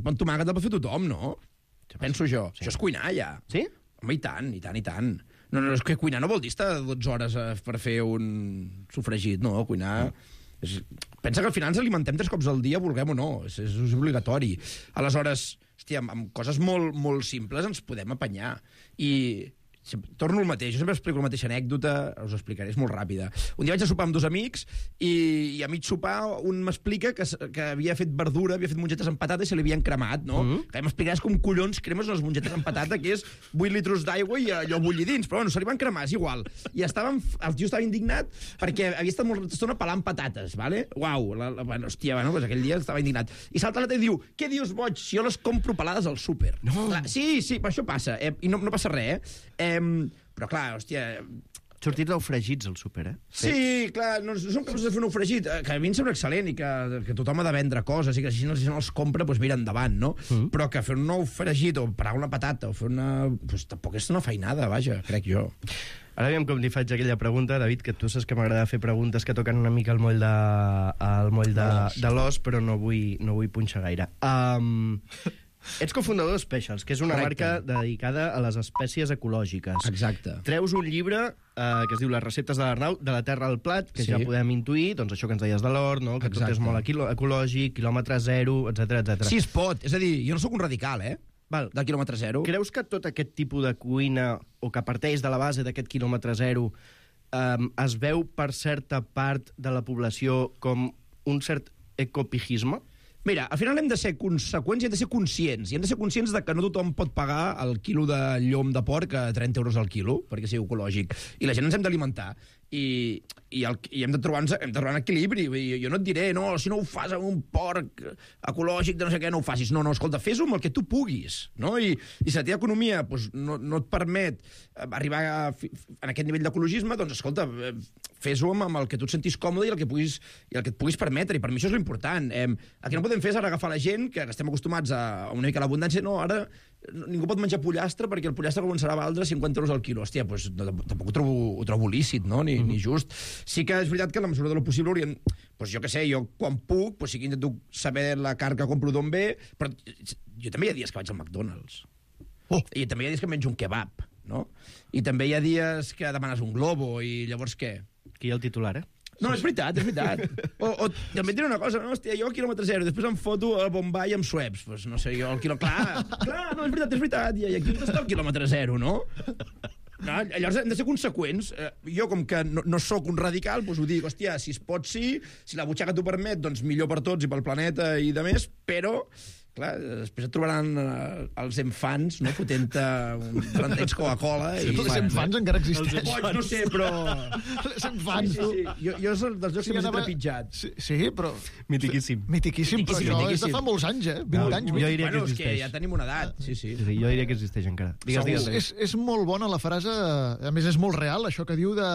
Pan tomàquet el pot fer tothom, no? Penso jo. Sí. Això és cuinar, ja. Sí? Home, i tant, i tant, i tant. No, no, és que cuinar no vol dir estar dotze hores eh, per fer un sofregit, no? Cuinar... És... Pensa que al final ens alimentem tres cops al dia, vulguem o no. És, és, és obligatori. Aleshores, hòstia, amb, amb coses molt, molt simples ens podem apanyar. I sempre, torno al mateix, jo sempre explico la mateixa anècdota, us ho explicaré, és molt ràpida. Un dia vaig a sopar amb dos amics i, i a mig sopar un m'explica que, s- que havia fet verdura, havia fet mongetes amb patata i se li havien cremat, no? Mm -hmm. Que m'explicaràs com collons cremes les mongetes amb patata, que és vuit litres d'aigua i allò bullir dins, però bueno, se li van cremar, és igual. I estàvem, el tio estava indignat perquè havia estat molta estona pelant patates, vale? Uau, la, la, bueno, hòstia, bueno, pues aquell dia estava indignat. I salta l'altre i diu, què dius, boig, si jo les compro pelades al súper? No. Clar, sí, sí, però això passa, eh? I no, no passa res, eh? Eh, però clar, hòstia... Sortit del fregits al súper, eh? Sí, clar, no, no som capaços de fer un fregit, eh, que a mi em sembla excel·lent i que, que tothom ha de vendre coses i que si no, si no els compra, doncs mira endavant, no? Mm. Però que fer un nou fregit o parar una patata o fer una... Doncs tampoc és una feinada, vaja, crec jo. Ara aviam com li faig aquella pregunta, David, que tu saps que m'agrada fer preguntes que toquen una mica el moll de, el moll de, de l'os, però no vull, no vull punxar gaire. Um, ets cofundador de Specials, que és una Correcte. marca dedicada a les espècies ecològiques. Exacte. Treus un llibre eh, que es diu Les receptes de l'Arnau, de la terra al plat, que Sí. ja podem intuir, doncs això que ens deies de l'hort, no? que tot Exacte. és molt equilo- ecològic, quilòmetre zero, etcètera etcètera. Sí, es pot. És a dir, jo no sóc un radical, eh? Val. Del quilòmetre zero. Creus que tot aquest tipus de cuina, o que parteix de la base d'aquest quilòmetre zero, um, es veu per certa part de la població com un cert ecopigisme? Mira, al final hem de ser conseqüents i hem de ser conscients. I hem de ser conscients de que no tothom pot pagar el quilo de llom de porc a trenta euros al quilo, perquè sigui ecològic. I la gent ens hem d'alimentar. I, i, el, i hem de trobar hem de trobar un equilibri. Vull dir, jo no et diré, no, si no ho fas amb un porc ecològic de no sé què, no ho facis. No, no, escolta, fes-ho amb el que tu puguis. No? I, i si la teva economia doncs, no, no et permet arribar a, fi- en aquest nivell d'ecologisme, doncs, escolta, eh, fes-ho amb, amb el que tu et sentis còmode i el que, puguis, i el que et puguis permetre. I per mi això és l'important. Eh, el que no podem fer és ara agafar la gent, que estem acostumats a, a una mica a l'abundància, no, ara ningú pot menjar pollastre perquè el pollastre començarà a valdre cinquanta euros al quilo. Hòstia, doncs, no, tampoc ho trobo, ho trobo lícit, no? Ni, ni just. Sí que és veritat que en la mesura de lo possible hauríem... Doncs jo què sé, jo quan puc, doncs sí que intento saber la carn que compro d'on ve, però jo també hi ha dies que vaig al McDonald's. Oh. I també hi ha dies que menjo un kebab, no? I també hi ha dies que demanes un globo i llavors què? Aquí hi ha el titular, eh? No, és veritat, és veritat. O, o també et diré una cosa, no? Hòstia, jo al quilòmetre zero, després em foto al Bombay amb Schweppes. Pues no sé, jo al quilòmetre... Clar, clar, no, és veritat, és veritat. I aquí està el quilòmetre zero, no? No, llavors hem de ser conseqüents. Eh, jo, com que no, no sóc un radical, doncs ho dic, hòstia, si es pot sí, si la butxaca t'ho permet, doncs millor per tots i pel planeta i de més, però... Clar, després et trobaran eh, els enfants, no?, fotent-te un taranteig Coca-Cola. Sí, I... els enfants encara existeixen. Boig, no sé, però... Els enfants, Sí, sí, sí. Jo, jo és el dels llocs Sí, que més he anava- trepitjat. Sí, sí, però... Mitiquíssim. Mitiquíssim, però Mitiquíssim, això és mitiquíssim. de fa molts anys, eh? vint No, anys. jo vint. diria que Bueno, és que existeix. ja tenim una edat, sí, sí. Sí, sí, jo diria que existeix encara. Digues, digues. És, és, és molt bona la frase, a més és molt real, això que diu de...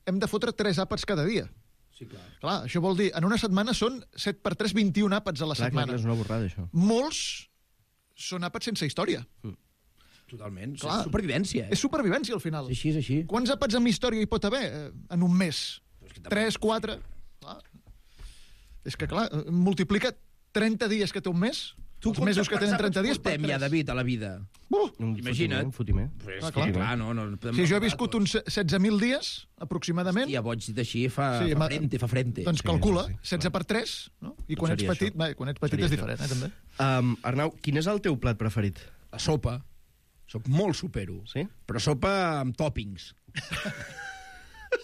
Hem de fotre tres àpats cada dia. Sí, clar. Clar, això vol dir, en una setmana són set per tres, vint-i-un àpats a la Clar, clar, setmana. clar, és una borrada, això. Molts són àpats sense història. Totalment. Clar. És supervivència. Eh? És supervivència, al final. És així, és així. Quants àpats amb història hi pot haver eh, en un mes? Però és que tampoc- Tres, quatre? Clar. És que, clar, eh, multiplica trenta dies que té un mes, Tu els mesos que tenen trenta dies, per portem ja, tres. David, a la vida? Uh! Un Imagina't. fotimer, un fotimer. Pues, Clar, clar, clar. clar, no, no, podem Si jo he parlar, viscut tot. uns setze mil dies, aproximadament, Hòstia, boig dit així, fa, Sí, fa ma- frente, fa frente. doncs Sí, calcula, sí, sí, setze per tres, no? I quan ets seria petit, això. bé, quan ets petit Seria és això. diferent, eh, també. Um, Arnau, quin és el teu plat preferit? La sopa. Soc molt supero. Sí? Però sopa amb tòpings.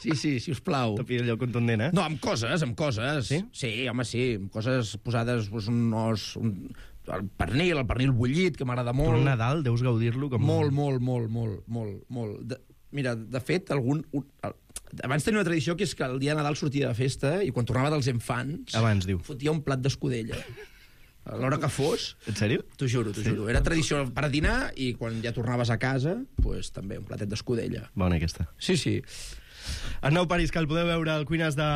Sí, sí, si us plau. T'ho pido allò contundent, eh? No, amb coses, amb coses. Sí? Sí, home, sí, amb coses posades, doncs, un os... Un, el pernil, el pernil bullit, que m'agrada Tu molt. el Nadal deus gaudir-lo com... Molt, molt, molt, molt, molt, molt. De, mira, de fet, algun... Un, el, abans tenia una tradició que és que el dia de Nadal sortia de festa i quan tornava dels infants... Abans, diu. Fotia un plat d'escudella. A l'hora que fos... En sèrio? T'ho juro, t'ho juro. Era tradició per a dinar i quan ja tornaves a casa, pues, també un platet d'escudella. Bona, aquesta. Sí, sí. Arnau París, que el podeu veure al Cuines de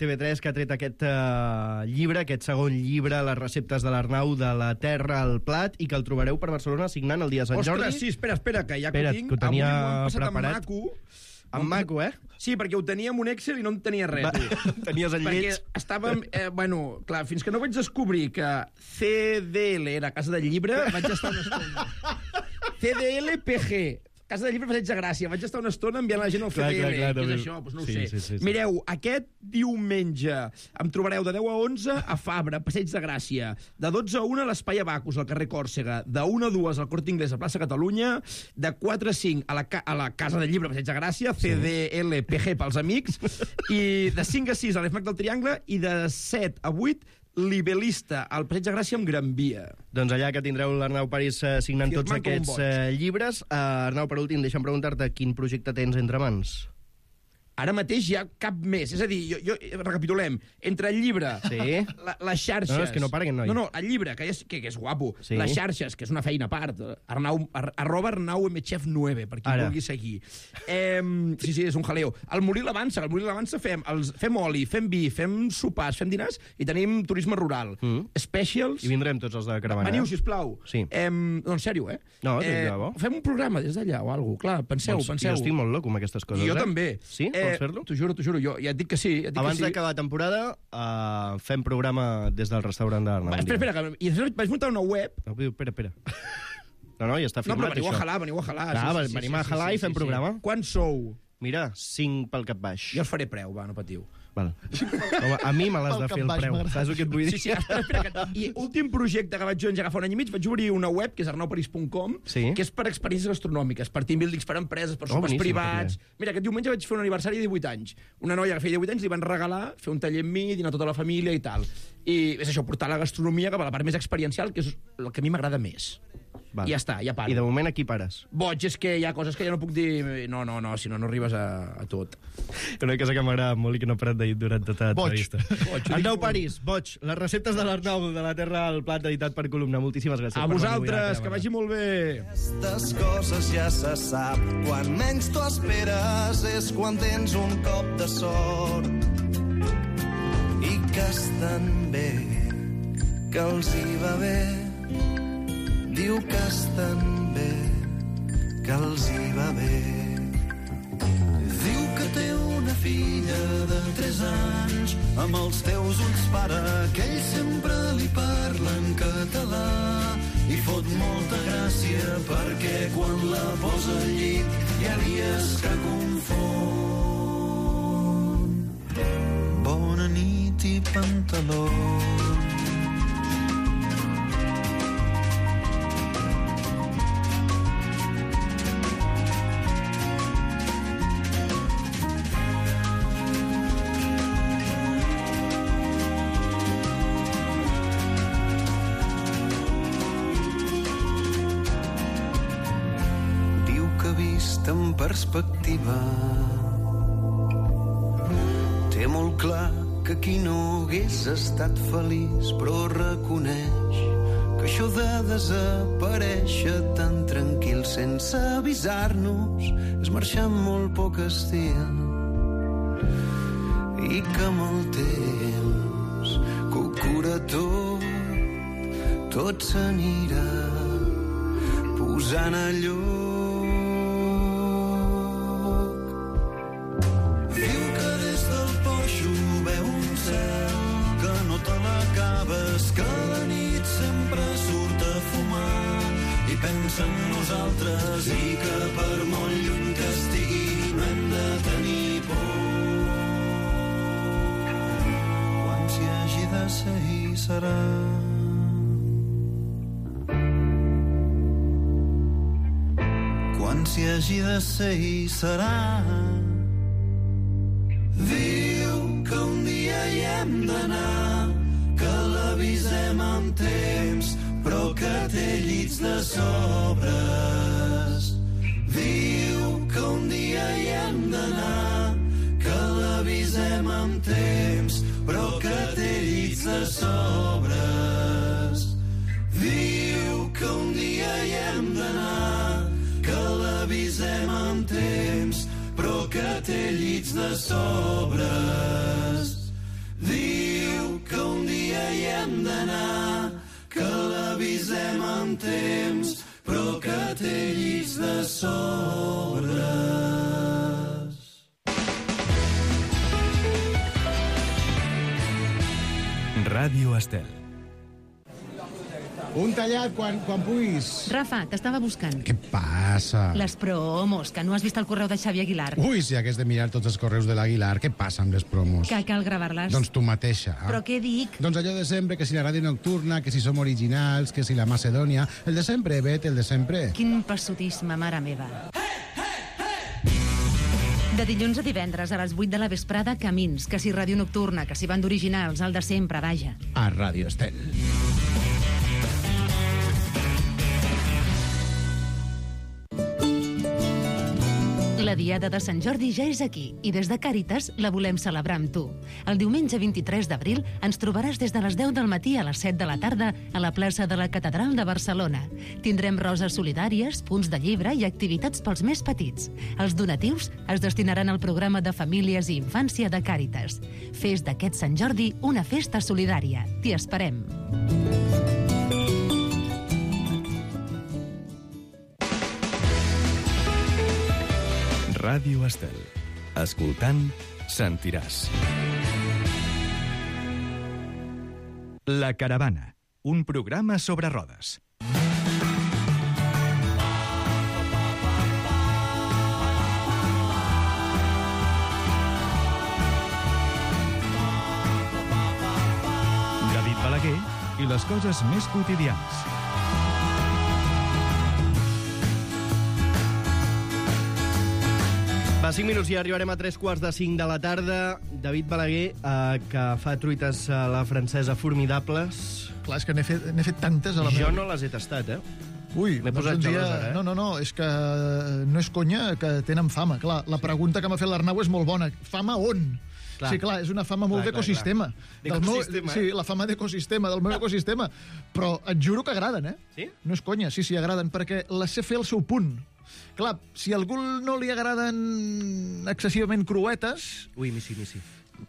T V tres, que ha tret aquest uh, llibre, aquest segon llibre, les receptes de l'Arnau, de la terra al plat, i que el trobareu per Barcelona signant el dia de Sant Jordi. Ostres, sí, espera, espera, que ja Espera't, que ho tinc... que ho tenia avui m'ho han passat preparat. Amb maco. Amb maco, eh? Sí, perquè ho tenia en un Excel i no en tenia res. Va, tu. tenies el lleig. Perquè estàvem... Eh, bueno, clar, fins que no vaig descobrir que C D L era Casa del Llibre, vaig estar una estona. C D L P G. Casa del Llibre Passeig de Gràcia. Vaig estar una estona enviant la gent al Clar, C D L. clar, clar, Què és també. això? Pues no ho Sí, sé. sí, sí, sí. Mireu, aquest diumenge em trobareu de deu a onze a Fabra, Passeig de Gràcia. De dotze a una a l'Espai Abacus, al carrer Còrsega. De una a dues al Corte Inglés, a plaça Catalunya. De quatre a cinc a la, ca a la Casa del Llibre Passeig de Gràcia, C D L P G pels amics. I de cinc a sis a l'E F M A C del Triangle. I de set a vuit Libelista, al Passeig de Gràcia amb Gran Via. Doncs allà que tindreu l'Arnau París eh, signant Firmant tots com un aquests boig. eh, llibres. Uh, Arnau, per últim, deixa'm preguntar-te quin projecte tens entre mans. Ara mateix hi ha cap més. És a dir, jo, jo, recapitulem. Entre el llibre, Sí. la, les xarxes... No, no, és que no paren, noi. No, no, el llibre, que és, que, que és guapo. Sí. Les xarxes, que és una feina a part. Arnau, ar, arroba Arnau M Chef nueve, per qui Ara. vulgui seguir. Eh, sí, sí, és un jaleo. Al Morir l'Avança, al Morir l'Avança fem, els, fem oli, fem vi, fem sopars, fem dinars i tenim turisme rural. Mm. Specials... I vindrem tots els de caravana. Veniu, sisplau. Sí. Eh, no, en sèrio, eh? No, de eh, debò. Fem un programa des d'allà o alguna cosa. Clar, penseu, Doncs penseu. Jo estic molt loco amb aquestes coses, I jo eh? també. Sí? Eh, Vols fer-lo? T'ho juro, t'ho juro. Jo ja et dic que sí. Ja et dic Abans que sí. d'acabar la temporada, uh, fem programa des del restaurant d'Arnau. Va, espera, espera, que... i després vaig muntar una web... No, espera, espera. No, no, ja està No, firmat, però veniu a això. jalar, veniu a jalar. Clar, venim a jalar i fem programa. Quan sou? Mira, cinc pel cap baix. Jo us faré preu, va, no patiu. Val. Home, a mi me l'has Pel de cap fer el baix, preu. m'agrada. Saps el que et vull dir? Sí, sí, espera, espera. Que... I últim projecte que vaig jo engegar fa un any i mig, vaig obrir una web, que és arnau parís punt com, Sí. que és per experiències gastronòmiques, per team buildings, per empreses, per Oh, sopars boníssim, privats... que Mira, aquest diumenge vaig fer un aniversari de divuit anys. Una noia que feia divuit anys li van regalar fer un taller amb mi, dinar tota la família i tal. I és això, portar la gastronomia cap a la part més experiencial, que és el que a mi m'agrada més. Val. I ja està, ja paro. I de moment aquí pares. Boig, és que hi ha coses que ja no puc dir... No, no, no, si no, no arribes a, a tot. Una cosa que m'agrada molt i que no he parat de dir durant tota Boig. l'entrevista. Boig, ho Arnau dic París, boig. Les receptes de l'Arnau de la Terra al Plat, editat per Columna. Moltíssimes gràcies. A per venir avui vosaltres, la que vagi molt bé. Aquestes coses ja se sap. Quan menys t'ho esperes és quan tens un cop de sort. I que estan bé, que els hi va bé. Diu que estan bé, que els hi va bé. Diu que té una filla de tres anys, amb els teus ulls, pare, que ell sempre li parla en català. I fot molta gràcia perquè quan la posa al llit hi ha dies que confon. Bona nit i pantalons. En perspectiva té molt clar que qui no hagués estat feliç, però reconeix que això de desaparèixer tan tranquil sense avisar-nos és marxar amb molt poc estil i que amb el temps que ho cura tot tot s'anirà posant a lloc. Pensa en nosaltres i que per molt lluny que estigui no hem de tenir por. Quan s'hi hagi de ser hi serà. Quan s'hi hagi de ser hi serà. Diu que un dia hi hem d'anar, que l'avisem amb temps, però que té llits de sobres. Diu que un dia hi hem d'anar, que l'avisem amb temps, però que té llits de sobres. Diu que un dia hi hem d'anar, que l'avisem amb temps, però que té llits de sobres. Diu que un dia hi hem d'anar, que l'avisem amb temps, però que té llits de sobres. Ràdio Estel. Un tallat quan, quan puguis. Rafa, t'estava buscant. Què passa? Les promos, que no has vist el correu de Xavi Aguilar. Ui, si hagués de mirar tots els correus de l'Aguilar, què passa amb les promos? Que cal gravar-les. Doncs tu mateixa. Però què dic? Doncs allò de sempre, que si la ràdio nocturna, que si som originals, que si la Macedònia... El de sempre, Bet, el de sempre. Quin passotisme, mare meva. De dilluns a divendres a les vuit de la vesprada, Camins, que si ràdio nocturna, que si banda originals, el de sempre, vaja. A Ràdio Estel. La Diada de Sant Jordi ja és aquí i des de Càritas la volem celebrar amb tu. El diumenge vint-i-tres d'abril ens trobaràs des de les deu del matí a les set de la tarda a la plaça de la Catedral de Barcelona. Tindrem roses solidàries, punts de llibre i activitats pels més petits. Els donatius es destinaran al programa de famílies i infància de Càritas. Fes d'aquest Sant Jordi una festa solidària. T'hi esperem. Ràdio Estel. Escoltant, sentiràs. La Caravana, un programa sobre rodes. David Balaguer i les coses més quotidianes. Va, cinc minuts i arribarem a tres quarts de cinc de la tarda. David Balaguer, eh, que fa truites a la francesa formidables. Clar, és que n'he fet, n'he fet tantes a la Jo meva... no les he tastat, eh? Ui, M'he doncs posat un dia... gelós, ara, eh? No, no, no, és que no és conya que tenen fama. Clar, la pregunta que m'ha fet l'Arnau és molt bona. Fama on? Clar. Sí, clar, és una fama molt Clar, clar, d'ecosistema. clar. Del meu- D'ecosistema, Sí, eh? la fama d'ecosistema, del meu ecosistema. Però et juro que agraden, eh? Sí? No és conya, sí, sí, agraden, perquè les sé fer al seu punt. Clar, si a algú no li agraden excessivament cruetes, Ui, missi, missi.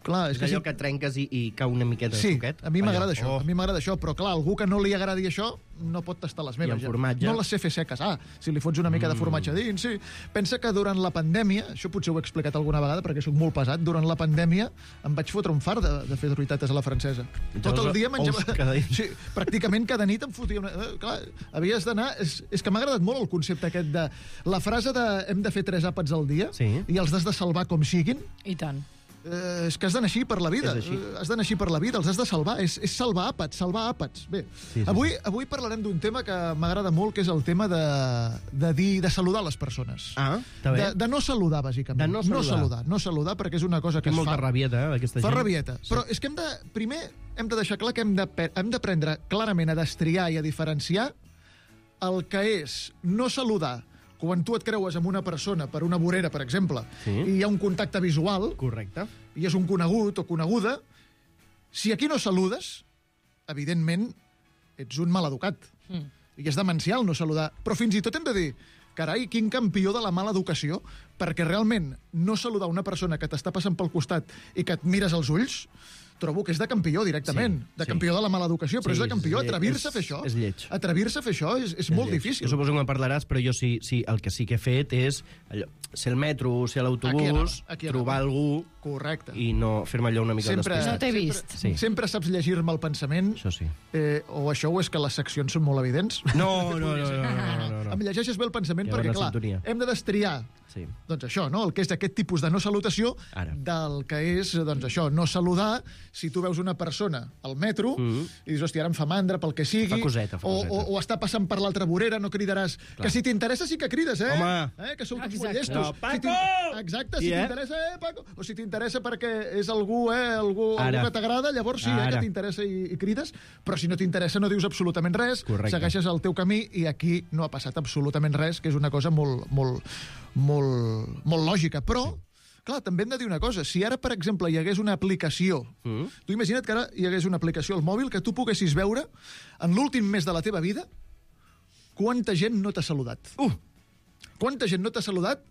clar, és, És que allò si... que trenques i, i cau una miqueta de Sí, suquet. a mi m'agrada Allò. això, Oh. a mi m'agrada això, però clar, algú que no li agradi això no pot tastar les meves. I amb ja. formatge? No les sé fer seques. Ah, si li fots una mica de formatge dins, sí. Pensa que durant la pandèmia, això potser ho he explicat alguna vegada perquè sóc molt pesat, durant la pandèmia em vaig fotre un far de, de fer truitates a la francesa. Tot el dia menjava... Ous cada dia. Sí, pràcticament cada nit em fotia una... Eh, clar, havies d'anar... És, és que m'ha agradat molt el concepte aquest de... La frase de hem de fer tres àpats al dia Sí. i els has de salvar com siguin. I tant. Eh, és que has d'anar així per la vida. És així. Eh, has d'anar així per la vida, els has de salvar. És, és salvar àpats, salvar àpats. Bé, Sí, sí, avui, avui parlarem d'un tema que m'agrada molt, que és el tema de, de dir, de saludar les persones. Ah, està bé. De, de no saludar, bàsicament. De no saludar. No saludar, no saludar perquè és una cosa que Té es molta fa... rabieta, eh, aquesta Fa gent. rabieta. Sí. Però és que hem de... Primer hem de deixar clar que hem de pe- hem d'aprendre clarament a destriar i a diferenciar el que és no saludar quan tu et creues amb una persona per una vorera, per exemple, Sí. i hi ha un contacte visual, Correcte. i és un conegut o coneguda, si aquí no saludes, evidentment ets un maleducat. Mm. I és demencial no saludar. Però fins i tot hem de dir, carai, quin campió de la mala educació, perquè realment no saludar una persona que t'està passant pel costat i que et mires als ulls, trobo que és de campió directament, Sí, de sí. campió de la mala educació, però Sí, és de campió. és lle- Atrevir-se a és- fer això, és lleig. atrevir-se a fer això és, és molt lleig. difícil. Jo suposo que me'n parlaràs, però jo sí, sí, el que sí que he fet és allò, ser al metro, ser a Aquí l'autobús, anava, aquí anava. trobar algú Correcte. i no fer-me allò una mica Sempre, despistat. No t'he sempre, vist. Sí. Sempre saps llegir-me el pensament, Això sí. eh, o això o és que les seccions són molt evidents. No, no, no, no, no, no, no. Em llegeixes bé el pensament Hi ha perquè, bona clar, sintonia. hem de destriar Sí. doncs això, no? El que és aquest tipus de no salutació Ara. del que és, doncs això, no saludar si tu veus una persona al metro Mhm. i dius, hòstia, ara em fa mandra pel que sigui, Fa coseta, fa o, coseta. o, o està passant per l'altra vorera, no cridaràs. Que si t'interessa sí que crides, eh? Home. Eh? Que sou tots Exacte. molt llestos. No, Si Paco! t'in- Exacte, si Sí, eh? t'interessa, eh, Paco? O si t'interessa perquè és algú, eh, algú, algú Ara. que t'agrada, llavors sí, eh, Ara. que t'interessa i, i crides, però si no t'interessa no dius absolutament res, Correcte. segueixes el teu camí i aquí no ha passat absolutament res, que és una cosa molt, molt, molt, molt lògica. Però, clar, també hem de dir una cosa. Si ara, per exemple, hi hagués una aplicació, Mm. tu imagina't que ara hi hagués una aplicació al mòbil que tu poguessis veure en l'últim mes de la teva vida quanta gent no t'ha saludat. Uh! Quanta gent no t'ha saludat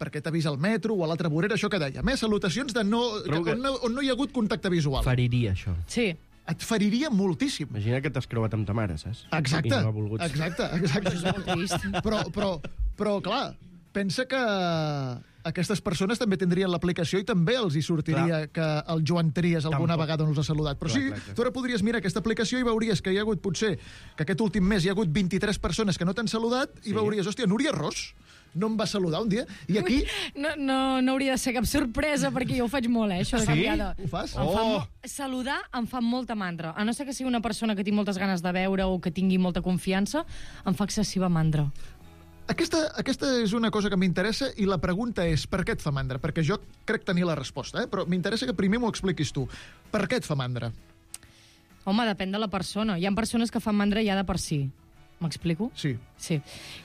perquè t'ha vist al metro o a l'altra vorera, això que dèiem, eh? Salutacions de no, que, Trobo que- on, no, on no hi ha hagut contacte visual. Feriria, això. Sí. Et feriria moltíssim. Imagina que t'has creuat amb ta mare, saps? Exacte, I no ha volgut. exacte, exacte. És molt trist. Però, però, però, clar, pensa que aquestes persones també tindrien l'aplicació i també els hi sortiria clar. que el Joan Trias alguna Tampoc. vegada no els ha saludat. Però Clar, sí, clar, clar. tu ara podries mirar aquesta aplicació i veuries que hi ha hagut, potser, que aquest últim mes hi ha hagut vint-i-tres persones que no t'han saludat i Sí. veuries, hòstia, Núria Ros no em va saludar un dia. I aquí... No, no, no hauria de ser cap sorpresa, perquè jo ho faig molt, eh, això de Sí? canviar de... Ho fas? Em fa Oh! mo... Saludar em fa molta mandra. A no ser que sigui una persona que tinc moltes ganes de veure o que tingui molta confiança, em fa excessiva mandra. Aquesta, aquesta és una cosa que m'interessa i la pregunta és per què et fa mandra? Perquè jo crec tenir la resposta, eh? Però m'interessa que primer m'ho expliquis tu. Per què et fa mandra? Home, depèn de la persona. Hi ha persones que fan mandra ja de per si. M'explico? Sí. Sí.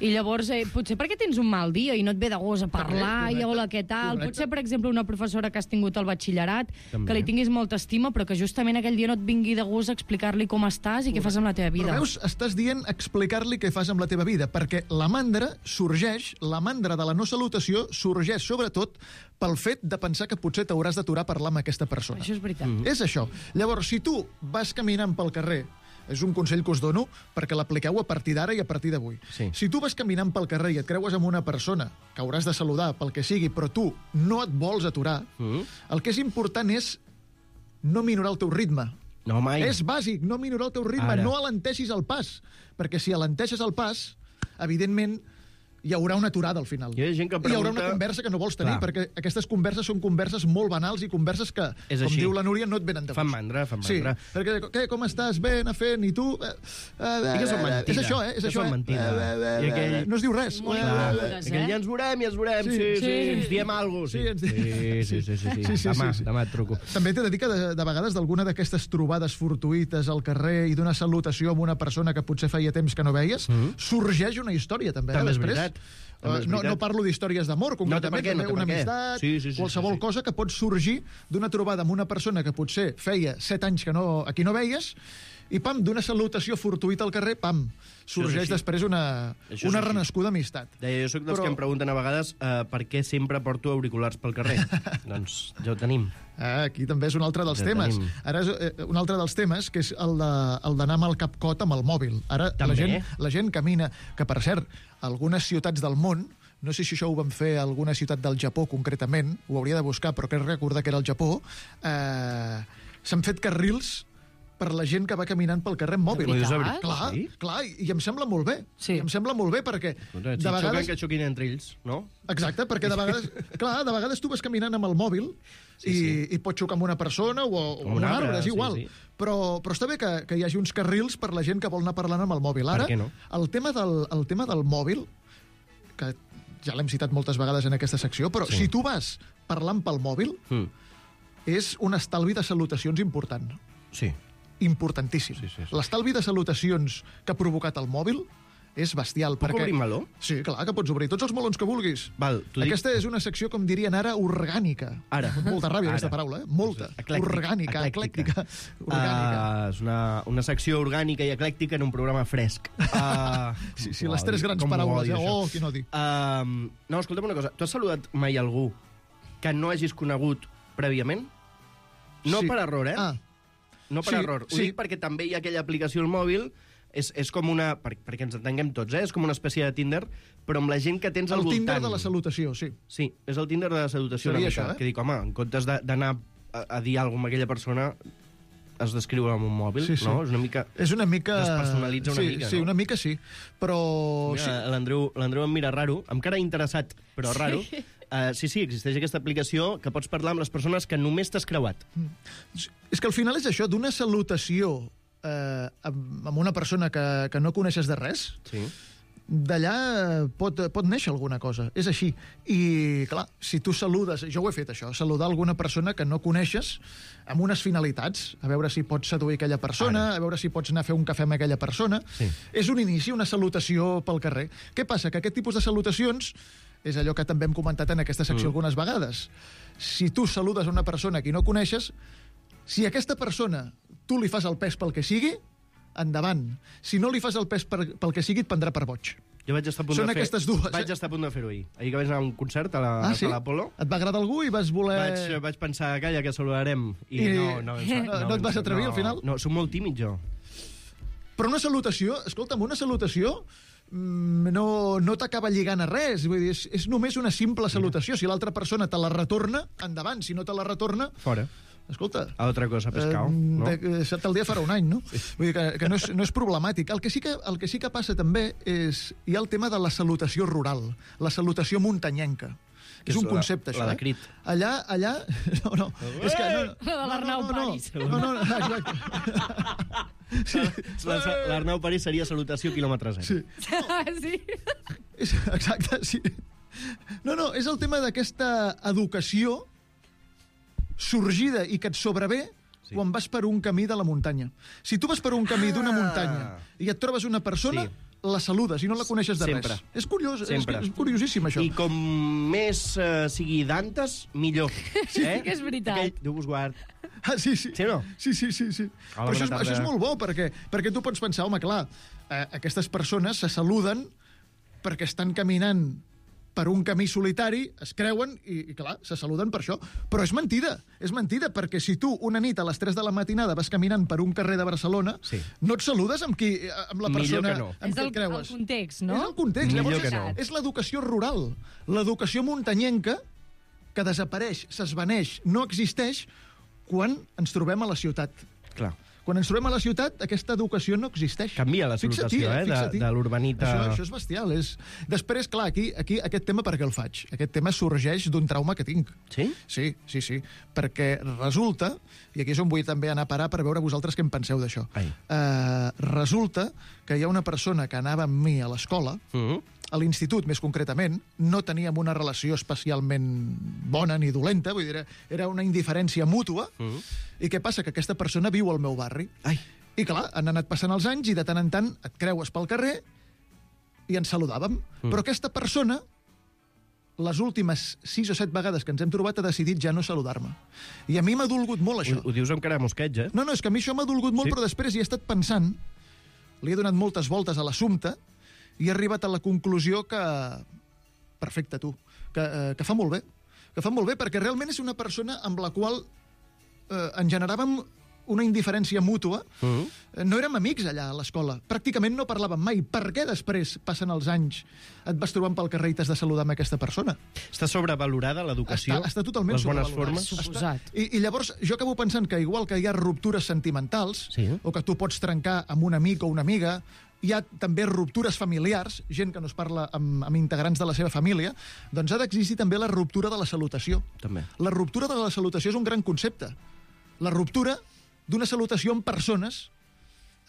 I llavors, eh, potser perquè tens un mal dia i no et ve de gust a parlar, Correcte, i hola, què tal? correcte. Potser, per exemple, una professora que has tingut al batxillerat, També. que li tinguis molta estima, però que justament aquell dia no et vingui de gust a explicar-li com estàs i què fas amb la teva vida. Però veus, estàs dient explicar-li què fas amb la teva vida, perquè la mandra sorgeix, la mandra de la no salutació sorgeix sobretot pel fet de pensar que potser t'hauràs d'aturar a parlar amb aquesta persona. Això és veritat. Mm. És això. Llavors, si tu vas caminant pel carrer, és un consell que us dono perquè l'apliqueu a partir d'ara i a partir d'avui. Sí. Si tu vas caminant pel carrer i et creues amb una persona que hauràs de saludar pel que sigui, però tu no et vols aturar, Mm? el que és important és no minorar el teu ritme. No, mai. És bàsic, no minorar el teu ritme, Ara. no alenteixis el pas, perquè si alenteixes el pas, evidentment hi haurà una aturada al final. Hi ha gent que I hi haurà una pregunta- conversa que no vols tenir, Clar. perquè aquestes converses són converses molt banals i converses que, És com així. diu la Núria, no et venen de gust. Fan mandra, fan Sí, mandra. perquè, què, com estàs? Bé, anar fent, i tu? Eh, eh, I que són eh, mentida. És això, eh? És Que això, són eh? mentida. Eh, eh, I aquell- eh, No es diu res. Molt Eh, Clar, Molt eh, bones, aquell eh? ja ens veurem, ja ens veurem, Sí, sí, sí, sí. sí, ens diem alguna cosa. Sí, ens sí, di- sí, sí, sí, sí, Sí, sí, demà, sí, sí. demà et truco. També t'he de dir que de, de vegades d'alguna d'aquestes trobades fortuïtes al carrer i d'una salutació amb una persona que potser feia temps que no veies, Mhm. sorgeix una història, també, També eh, és després. veritat. També és Uh, no, veritat. no parlo d'històries d'amor, concretament, què, no també té una per què. amistat, Sí, sí, sí, qualsevol sí, sí. cosa que pot sorgir d'una trobada amb una persona que potser feia set anys que no, a qui no veies, i pam, d'una salutació fortuïta al carrer, pam, sorgeix després una, una renascuda amistat. Deia, jo soc dels Però... que em pregunten a vegades uh, per què sempre porto auriculars pel carrer. Doncs ja ho tenim. Ah, aquí també és un altre dels Ja temes. tenim. Ara és eh, un altre dels temes, que és el de- el d'anar amb el capcot amb el mòbil. Ara la També. gent, la gent camina, que per cert, algunes ciutats del món, no sé si això ho van fer a alguna ciutat del Japó concretament, ho hauria de buscar, però crec recordar que era el Japó, eh, s'han fet carrils per la gent que va caminant pel carrer amb mòbil. De veritat? Clar, Sí? clar, i em sembla molt bé. Sí. I em sembla molt bé perquè Si de xoquen, vegades... que xoquin entre ells, no? Exacte, perquè de vegades, clar, de vegades tu vas caminant amb el mòbil Sí, i, sí. i pots xocar amb una persona o, o amb un arbre, és sí, igual. sí. Però, però està bé que, que hi hagi uns carrils per la gent que vol anar parlant amb el mòbil. Ara, Per què no? el tema del, el tema del mòbil, que ja l'hem citat moltes vegades en aquesta secció, però Sí. si tu vas parlant pel mòbil, Mm. és un estalvi de salutacions important. Sí. Importantíssim. Sí, sí, sí. L'estalvi de salutacions que ha provocat el mòbil és bestial. Puc obrir meló? Sí, clar, que pots obrir tots els melons que vulguis. Val, t'ho dic- Aquesta és una secció, com dirien ara, orgànica. Ara. Molta ràbia, Ara. aquesta paraula, eh? Molta. Eclèctic. Orgànica, eclèctica. Orgànica. Uh, és una, una secció orgànica i eclèctica en un programa fresc. Uh, Sí, sí, les tres grans paraules. Eh? Oh, quin odi. Uh, no, escolta'm una cosa. Tu has saludat mai algú que no hagis conegut prèviament? No Sí. per error, eh? Ah, No per sí, error. Ho sí. dic perquè també hi ha aquella aplicació al mòbil, és, és com una... Per, perquè ens entenguem tots, eh? És com una espècie de Tinder, però amb la gent que tens al el voltant. Tinder de la salutació, sí. Sí, és el Tinder de la salutació. Seria una mica, això, eh? Que dic, home, en comptes de- d'anar a, a dir alguna cosa amb aquella persona, has d'escriure amb un mòbil, Sí, sí. no? És una mica... És una mica... Despersonalitza una sí, mica, Sí, no? una mica sí. Però... sí. Mira, l'Andreu l'Andreu em mira raro, amb cara interessat, però raro. Sí. Uh, sí, sí, existeix aquesta aplicació que pots parlar amb les persones que només t'has creuat. És que al final és això, d'una salutació eh, amb amb una persona que, que no coneixes de res, Sí. d'allà pot, pot néixer alguna cosa. És així. I, clar, si tu saludes... Jo ho he fet, això, saludar alguna persona que no coneixes amb unes finalitats, a veure si pots seduir aquella persona, Ara. a veure si pots anar a fer un cafè amb aquella persona. Sí. És un inici, una salutació pel carrer. Què passa? Que aquest tipus de salutacions és allò que també hem comentat en aquesta secció mm. algunes vegades. Si tu saludes a una persona que no coneixes, si aquesta persona tu li fas el pes pel que sigui, endavant. Si no li fas el pes per, pel que sigui, et prendrà per boig. Jo vaig estar a punt Són de fer... aquestes dues, Vaig eh? estar a punt de fer-ho ahir. Ahir que vaig anar a un concert a la- Ah, sí? a l'Apolo. Et va agradar algú i vas voler... Vaig, vaig pensar, calla, que saludarem. I, I- no, no, em fa- no et vas em- atrevir, no, al final? No, soc molt tímid, jo. Però una salutació, escolta'm, una salutació mm, no, no t'acaba lligant a res. Vull dir, és, és només una simple salutació. Si l'altra persona te la retorna, endavant. Si no te la retorna, Fora. escolta... A altra cosa, pescau, eh, no? de- Excepte el dia farà un any, no? Vull dir que, que no, és, no és problemàtic. El que, sí que, el que sí que passa també és... Hi ha el tema de la salutació rural, la salutació muntanyenca. Que És és un la- concepte, la això. de eh? Crit. Allà, allà... No, no. És que... No, no, La de l'Arnau no, no, no, Paris. no, no, no, exacte. Sí. La- L'Arnau París seria salutació quilòmetre zero. Sí. sí. És, exacte, sí. No, no, és el tema d'aquesta educació sorgida i que et sobrevé Sí. quan vas per un camí de la muntanya. Si tu vas per un camí d'una Ah. muntanya i et trobes una persona, Sí. la saludes i no la coneixes de Sempre. res. És curiós, és, Sempre. és curiosíssim, això. I com més uh, sigui d'antes, millor. Sí, que és veritat. Aquell, Déu vos guard. Ah, sí, sí. Sí o no? Sí, sí, sí. sí. Hola, Però això, és, bona tarda. això és molt bo, perquè, perquè tu pots pensar, home, clar, eh, aquestes persones se saluden perquè estan caminant per un camí solitari, es creuen i, i, clar, se saluden per això. Però és mentida, és mentida, perquè si tu una nit a les tres de la matinada vas caminant per un carrer de Barcelona, Sí. no et saludes amb, qui, amb la Millor persona que no. amb És qui el, et creues. el context, no? És el context. Millor Llavors, que és, no. és l'educació rural, l'educació muntanyenca que desapareix, s'esvaneix, no existeix quan ens trobem a la ciutat. Clar. Quan ens trobem a la ciutat, aquesta educació no existeix. Canvia la Fixa't-hi, salutació, eh, de- fixa't-hi. de l'urbanita. Això, això és bestial. És... Després, clar, aquí, aquí aquest tema per què el faig? Aquest tema sorgeix d'un trauma que tinc. Sí? Sí, sí, sí. Perquè resulta, i aquí és on vull també anar a parar per veure vosaltres què en penseu d'això, Ai. uh, resulta que hi ha una persona que anava amb mi a l'escola, Mm -hmm. a l'institut, més concretament, no teníem una relació especialment bona ni dolenta, vull dir, era- era una indiferència mútua, Mhm. i què passa? Que aquesta persona viu al meu barri. Ai. I clar, han anat passant els anys i de tant en tant et creues pel carrer i ens saludàvem. Mm. Però aquesta persona les últimes sis o set vegades que ens hem trobat ha decidit ja no saludar-me. I a mi m'ha dolgut molt, això. Ho, ho dius amb cara de mosqueig, eh? No, no, és que a mi això m'ha dolgut molt, Sí? però després hi he estat pensant, li he donat moltes voltes a l'assumpte i he arribat a la conclusió que... Perfecte, tu. Que, eh, que fa molt bé. Que fa molt bé, perquè realment és una persona amb la qual eh, en generàvem una indiferència mútua. Mm. No érem amics allà a l'escola. Pràcticament no parlàvem mai. Per què després, passen els anys, et vas trobant pel carrer i t'has de saludar amb aquesta persona? Està sobrevalorada l'educació? Està, està totalment les bones sobrevalorada. formes? Suposat. I, I llavors jo acabo pensant que igual que hi ha ruptures sentimentals, Sí. o que tu pots trencar amb un amic o una amiga, hi ha també ruptures familiars, gent que no es parla amb, amb integrants de la seva família, doncs ha d'existir també la ruptura de la salutació. També. La ruptura de la salutació és un gran concepte. La ruptura d'una salutació amb persones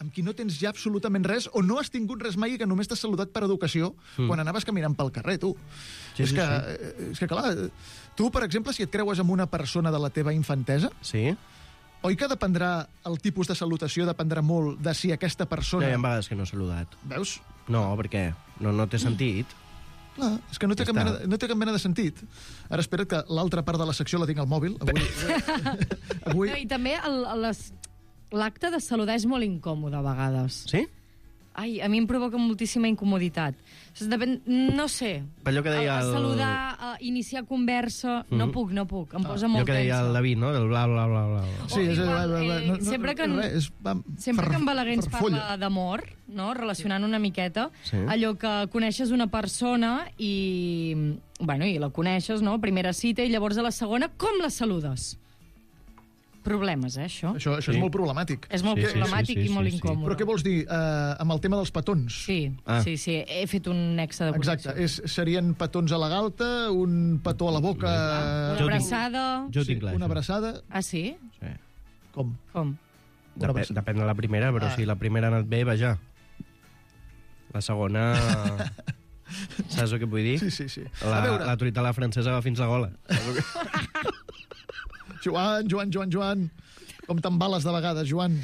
amb qui no tens ja absolutament res o no has tingut res mai i que només t'has saludat per educació mm. quan anaves caminant pel carrer, tu. Sí, és, sí, que, sí. és que, clar, tu, per exemple, si et creues amb una persona de la teva infantesa, Sí? oi que dependrà, el tipus de salutació dependrà molt de si aquesta No, persona... hi ha vegades que no he saludat. Veus? No, perquè no, no té sentit. Clar, és que no té, Ja cap està. mena, de- no té cap mena de sentit. Ara espera't que l'altra part de la secció la tinc al mòbil. Avui, avui, No, I també el- les- l'acte de saludar és molt incòmode a vegades. Sí? Ai, a mi em provoca moltíssima incomoditat. Depèn, no sé. Per allò que deia A, a el- saludar, a iniciar conversa... No Mhm. puc, no puc. Em posa Allò molt que deia tensa. el David, no? El bla, bla, bla, bla. bla. sí, O és, igual, eh, eh, no, no, sempre que en- res, és, va, Sempre fer- que en Balaguer ens fer parla folla. d'amor, no? Relacionant una miqueta, Sí. allò que coneixes una persona i, bueno, i la coneixes, no? Primera cita, i llavors a la segona, com la saludes? Problemes, eh, això? Això, això Sí. és molt problemàtic. És molt Sí, sí, problemàtic sí, sí, i molt sí, sí. incòmode. Però què vols dir eh, amb el tema dels petons? Sí, Ah. sí, sí. He fet un nexe de connexió. Exacte, és, serien petons a la galta, un petó a la boca... Una Jo tinc- abraçada... Jo sí, tinc clar, una això. abraçada... Ah, sí? Sí. Com? Com? Una Depèn, abraçada. depèn de la primera, però Ah. si la primera ha anat bé, vaja. La segona... Saps el que vull dir? Sí, sí, sí. La, A veure, la truita a la francesa va fins la gola. Joan, Joan, Joan, Joan, com t'embales de vegades, Joan.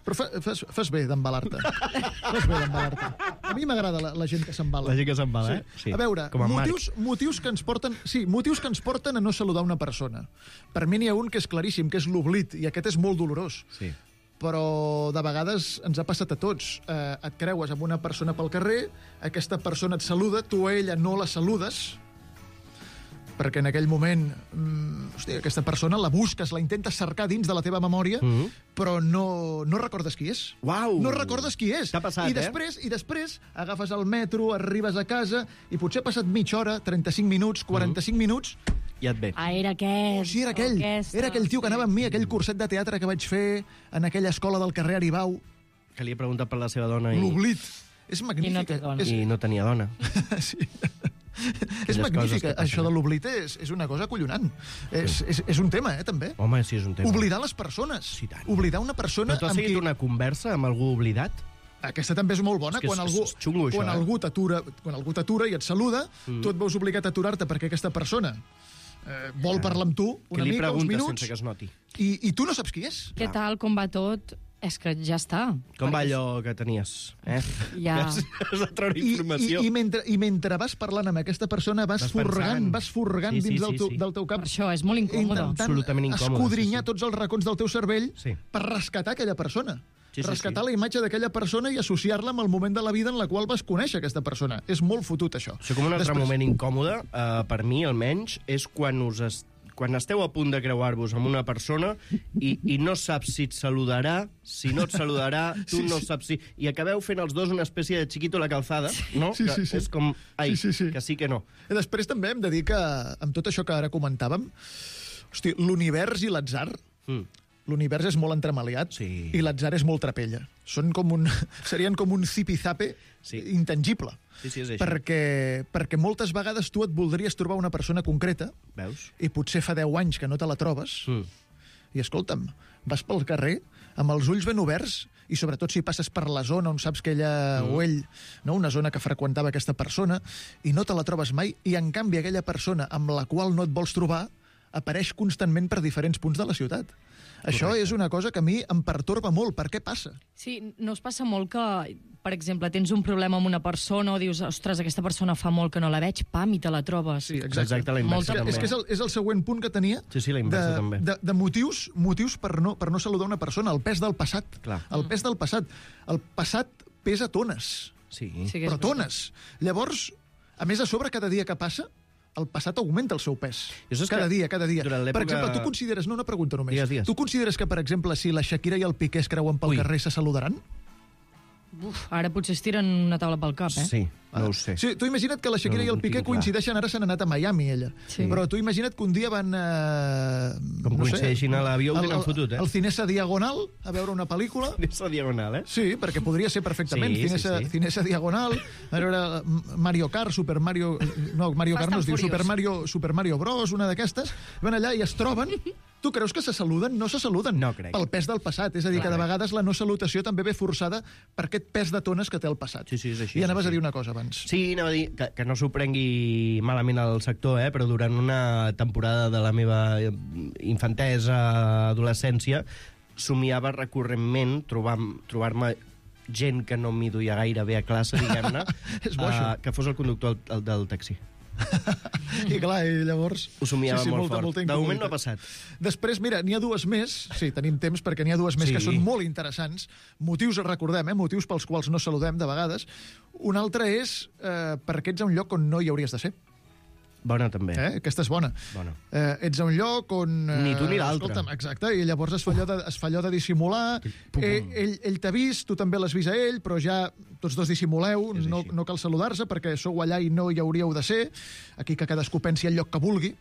Però fa, fas, fas bé d'embalar-te. Fas bé d'embalar-te. A mi m'agrada la, la gent que s'embala. La gent que s'embala, eh? Sí. A veure, Com en Marc. motius, motius que ens porten... Sí, motius que ens porten a no saludar una persona. Per mi n'hi ha un que és claríssim, que és l'oblit, i aquest és molt dolorós. Sí. Però de vegades ens ha passat a tots. Eh, et creues amb una persona pel carrer, aquesta persona et saluda, tu a ella no la saludes, perquè en aquell moment, mm, hòstia, aquesta persona la busques, la intentes cercar dins de la teva memòria, Mhm. però no, no recordes qui és. Uau! No recordes qui és. T'ha passat, I eh? després, I després agafes el metro, arribes a casa, i potser ha passat mitja hora, trenta-cinc minuts, quaranta-cinc minuts, I et ve. Ah, era aquest. sí, era aquell. aquesta. Era aquell tio que anava amb mi, aquell curset de teatre que vaig fer en aquella escola del carrer Aribau. Que li he preguntat per la seva dona i, L'oblit. És magnífic. I no té dona. És, i no tenia dona. sí. és coses magnífic. que passen. Això de l'oblit és, és una cosa acollonant. És, és, és un tema, eh, també. Home, sí, és un tema. Oblidar les persones. Sí, tant. Oblidar una persona Però tu has amb seguit qui... una conversa amb algú oblidat? Aquesta també és molt bona. És que quan és- algú, és xungo, això, quan eh? algú t'atura quan algú t'atura i et saluda, Mm. tu et veus obligat a aturar-te perquè aquesta persona eh, vol parlar amb tu Que una li mica, uns preguntes minuts, sense que es noti. i, i tu no saps qui és. Què tal, com va tot? És que ja està. Com va Perquè allò que tenies? Eh? Ja. Has, has de treure I, i, informació. i, mentre, I mentre vas parlant amb aquesta persona, vas, Vas furgant, pensant. vas furgant Sí, sí, dins sí, del, teu, sí. del teu cap, Per això, és molt incòmode. intentant Absolutament incòmode, escodrinyar sí, sí. tots els racons del teu cervell Sí. per rescatar aquella persona. Sí, sí, rescatar sí. la imatge d'aquella persona i associar-la amb el moment de la vida en la qual vas conèixer aquesta persona. És molt fotut, això. Això com un altre Després- moment incòmode, eh, per mi almenys, és quan us es... quan esteu a punt de creuar-vos amb una persona i, i no saps si et saludarà, si no et saludarà, tu Sí, no sí. saps si... I acabeu fent els dos una espècie de xiquito a la calzada, no? Sí, Que sí, sí. És com, ai, Sí, sí, sí. que sí que no. I després també hem de dir que, amb tot això que ara comentàvem, hosti, l'univers i l'atzar, Mm. l'univers és molt entremaliat Sí. i l'atzar és molt trapella. Són com un, serien com un zipizape Sí. intangible. Sí, sí, és això. Perquè, perquè moltes vegades tu et voldries trobar una persona concreta Veus? i potser fa deu anys que no te la trobes Mm. i, escolta'm, vas pel carrer amb els ulls ben oberts i sobretot si passes per la zona on saps que ella Mm. o ell, no, una zona que freqüentava aquesta persona, i no te la trobes mai, i en canvi aquella persona amb la qual no et vols trobar apareix constantment per diferents punts de la ciutat. Això Correcte. és una cosa que a mi em pertorba molt. Per què passa? Sí, no us passa molt que, per exemple, tens un problema amb una persona o dius, ostres, aquesta persona fa molt que no la veig, pam, i te la trobes. Sí, exacte. Exacte, la inversa Molta- també. És que és el, és el següent punt que tenia Sí, sí, la inversa de, també. de, de motius, motius per, no, per no saludar una persona. El pes del passat. Clar. El pes del passat. El passat pesa tones. Sí. Sí que és Però veritat. tones. Llavors, a més, a sobre, cada dia que passa, el passat augmenta el seu pes. Jo saps Cada que dia, cada dia. durant Per l'època- exemple, tu consideres... No, una pregunta només. Digues, digues. Tu consideres que, per exemple, si la Shakira i el Piqué es creuen pel Ui. carrer, se saludaran? Uf, ara potser es tiren una taula pel cap, eh? Sí, no ho sé. Sí, tu imagina't que la Shakira No, i el no Piqué tinc clar. coincideixen, ara s'han anat a Miami, ella. Sí. Però tu imagina't que un dia van... Eh, Com no sé, coincideixin a l'avió, ho al- tenen al- fotut, eh? Al Cinesa Diagonal, a veure una pel·lícula. És la diagonal, eh? Sí, perquè podria ser perfectament. Sí, sí, Cinesa, sí. Cinesa Diagonal, a veure Mario Kart, Super Mario... No, Mario Fast Kart no es and diu, Furious. Super Mario, Super Mario Bros, una d'aquestes. Van allà i es troben. Tu creus que se saluden? No se saluden. No crec. Pel pes del passat. És a dir, que de vegades la no salutació també ve forçada per aquest pes de tones que té el passat. Sí, sí, és així, I és anaves així. a dir una cosa abans. Sí, anava a dir que, que no s'ho prengui malament al sector, eh? Però durant una temporada de la meva infantesa, adolescència, somiava recurrentment trobar- trobar-me gent que no m'hi duia gaire bé a classe, diguem-ne, És bo, això. eh, que fos el conductor del, el del taxi. I clar, i llavors... Ho somiava sí, sí, molt molta, fort. molta De moment no ha incomoditat. passat. Després, mira, n'hi ha dues més. Sí, tenim temps perquè n'hi ha dues més Sí. que són molt interessants. Motius, recordem, eh? Motius pels quals no saludem de vegades. Un altre és eh, perquè ets a un lloc on no hi hauries de ser. Bona, també. Eh? Aquesta és bona. Bona. Eh, ets a un lloc on... Eh, Ni tu ni l'altre. escolta'm, exacte, i llavors es fa allò de, es fa allò de dissimular. Pum. Eh, ell ell t'ha vist, tu també l'has vist a ell, però ja tots dos dissimuleu, És no, així. no cal saludar-se perquè sou allà i no hi hauríeu de ser. Aquí que cadascú pensi el lloc que vulgui.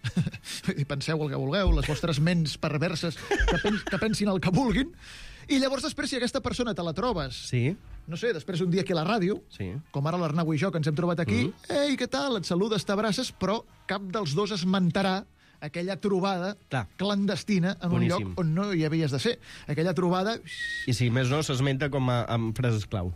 I penseu el que vulgueu, les vostres ments perverses que, pen, que pensin el que vulguin. I llavors després, si aquesta persona te la trobes, Sí, no sé, després un dia aquí a la ràdio, sí. com ara l'Arnau i jo, que ens hem trobat aquí, Mm. ei, què tal, et saludes, t'abraces, però cap dels dos esmentarà aquella trobada Clar. clandestina en Boníssim. un lloc on no hi havies de ser. Aquella trobada... I si més no, s'esmenta com a, amb frases clau.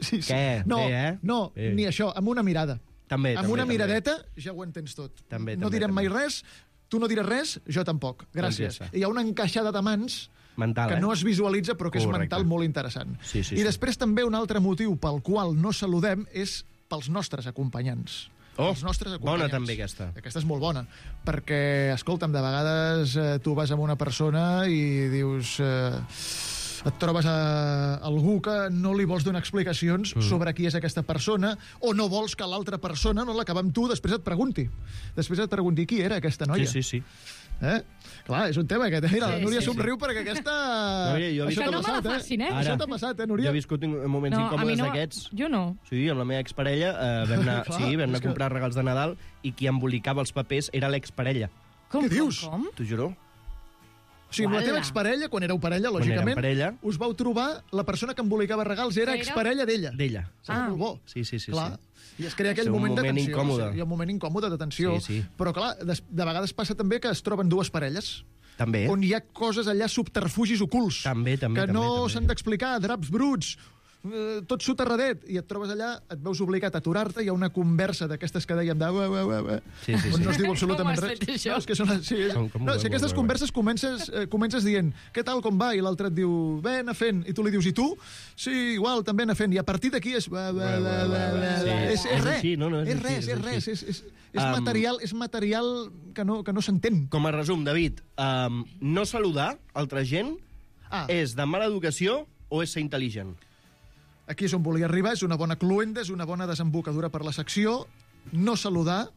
Sí, sí. Què? No, Bé, eh? no, Bé. ni això, amb una mirada. També, amb també, una també. miradeta ja ho entens tot. També, no també, direm mai també. res, tu no diràs res, jo tampoc. Gràcies. Doncs ja està. I hi ha una encaixada de mans Mental, que eh? no es visualitza però que és Correcte. mental molt interessant. Sí, sí, I sí. després també un altre motiu pel qual no saludem és pels nostres acompanyants. Oh, els nostres bona acompanyants. també aquesta. Aquesta és molt bona, perquè, escolta'm, de vegades eh, tu vas amb una persona i dius... Eh, et trobes a algú que no li vols donar explicacions mm. sobre qui és aquesta persona o no vols que l'altra persona, no l'acabar amb tu, després et pregunti. Després et pregunti qui era aquesta noia. Sí, sí, sí. Eh? Clar, és un tema aquest. Mira, la Sí, Núria sí, somriu perquè aquesta... Núria, jo he vist- Això Que t'ha no me la passat, facin, eh? Això Ara. t'ha passat, eh, Jo Núria? he viscut in- moments No, a mi incòmodes no, d'aquests. jo no. Sí, amb la meva exparella eh, vam anar, Clar, sí, vam anar és a comprar regals de Nadal i qui embolicava els papers era l'exparella. Com, Què dius? Com, com? T'ho juro. O sigui, amb la teva Uala. exparella, quan éreu parella, Quan lògicament, érem parella. us vau trobar la persona que embolicava regals era Era? exparella d'ella. D'ella. Ah. Ah. Molt bo. Sí, sí, sí. Clar. sí. I es crea aquell És un moment de moment tensió. incòmode. Sí, hi ha un moment incòmode de tensió. Sí, sí. Però, clar, de, de vegades passa també que es troben dues parelles També. on hi ha coses allà, subterfugis ocults, També, també, que també, no també. s'han d'explicar, draps bruts, eh, tot soterradet, i et trobes allà, et veus obligat a aturar-te, hi ha una conversa d'aquestes que dèiem de... Ué, ué, ué, ué, Sí, sí, on sí. no es diu absolutament Com ho has res. fet, això? No, és que són, sí, és, Com- com no, ho- si aquestes ho- ho- converses comences, eh, comences dient què tal, com va, i l'altre et diu bé, anar fent, i tu li dius, i tu? Sí, igual, també anar fent, i a partir d'aquí és... Ué, ué, ué, ué, ué, Sí, és, és, és res, així, no, no, és és així, res, és és així. res, és, és, és, Um, material, és material que no, que no s'entén. Com a resum, David, um, no saludar altra gent Ah. és de mala educació o és ser intel·ligent? Aquí és on volia arribar, és una bona cluenda, és una bona desembocadura per la secció. No saludar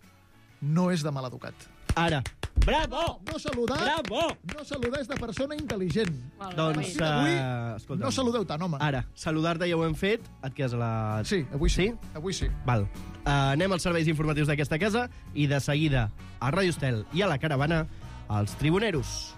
no és de mal educat. Ara. Bravo! No saludar, Bravo! no saludar és de persona intel·ligent. Doncs, Sí, avui uh, escolta'm. no saludeu tant, home. Ara, saludar-te ja ho hem fet, et quedes a la... Sí, avui sí. Sí? Avui sí. Val. Uh, anem als serveis informatius d'aquesta casa i de seguida a Ràdio Estel i a la Caravana, els Tribuneros.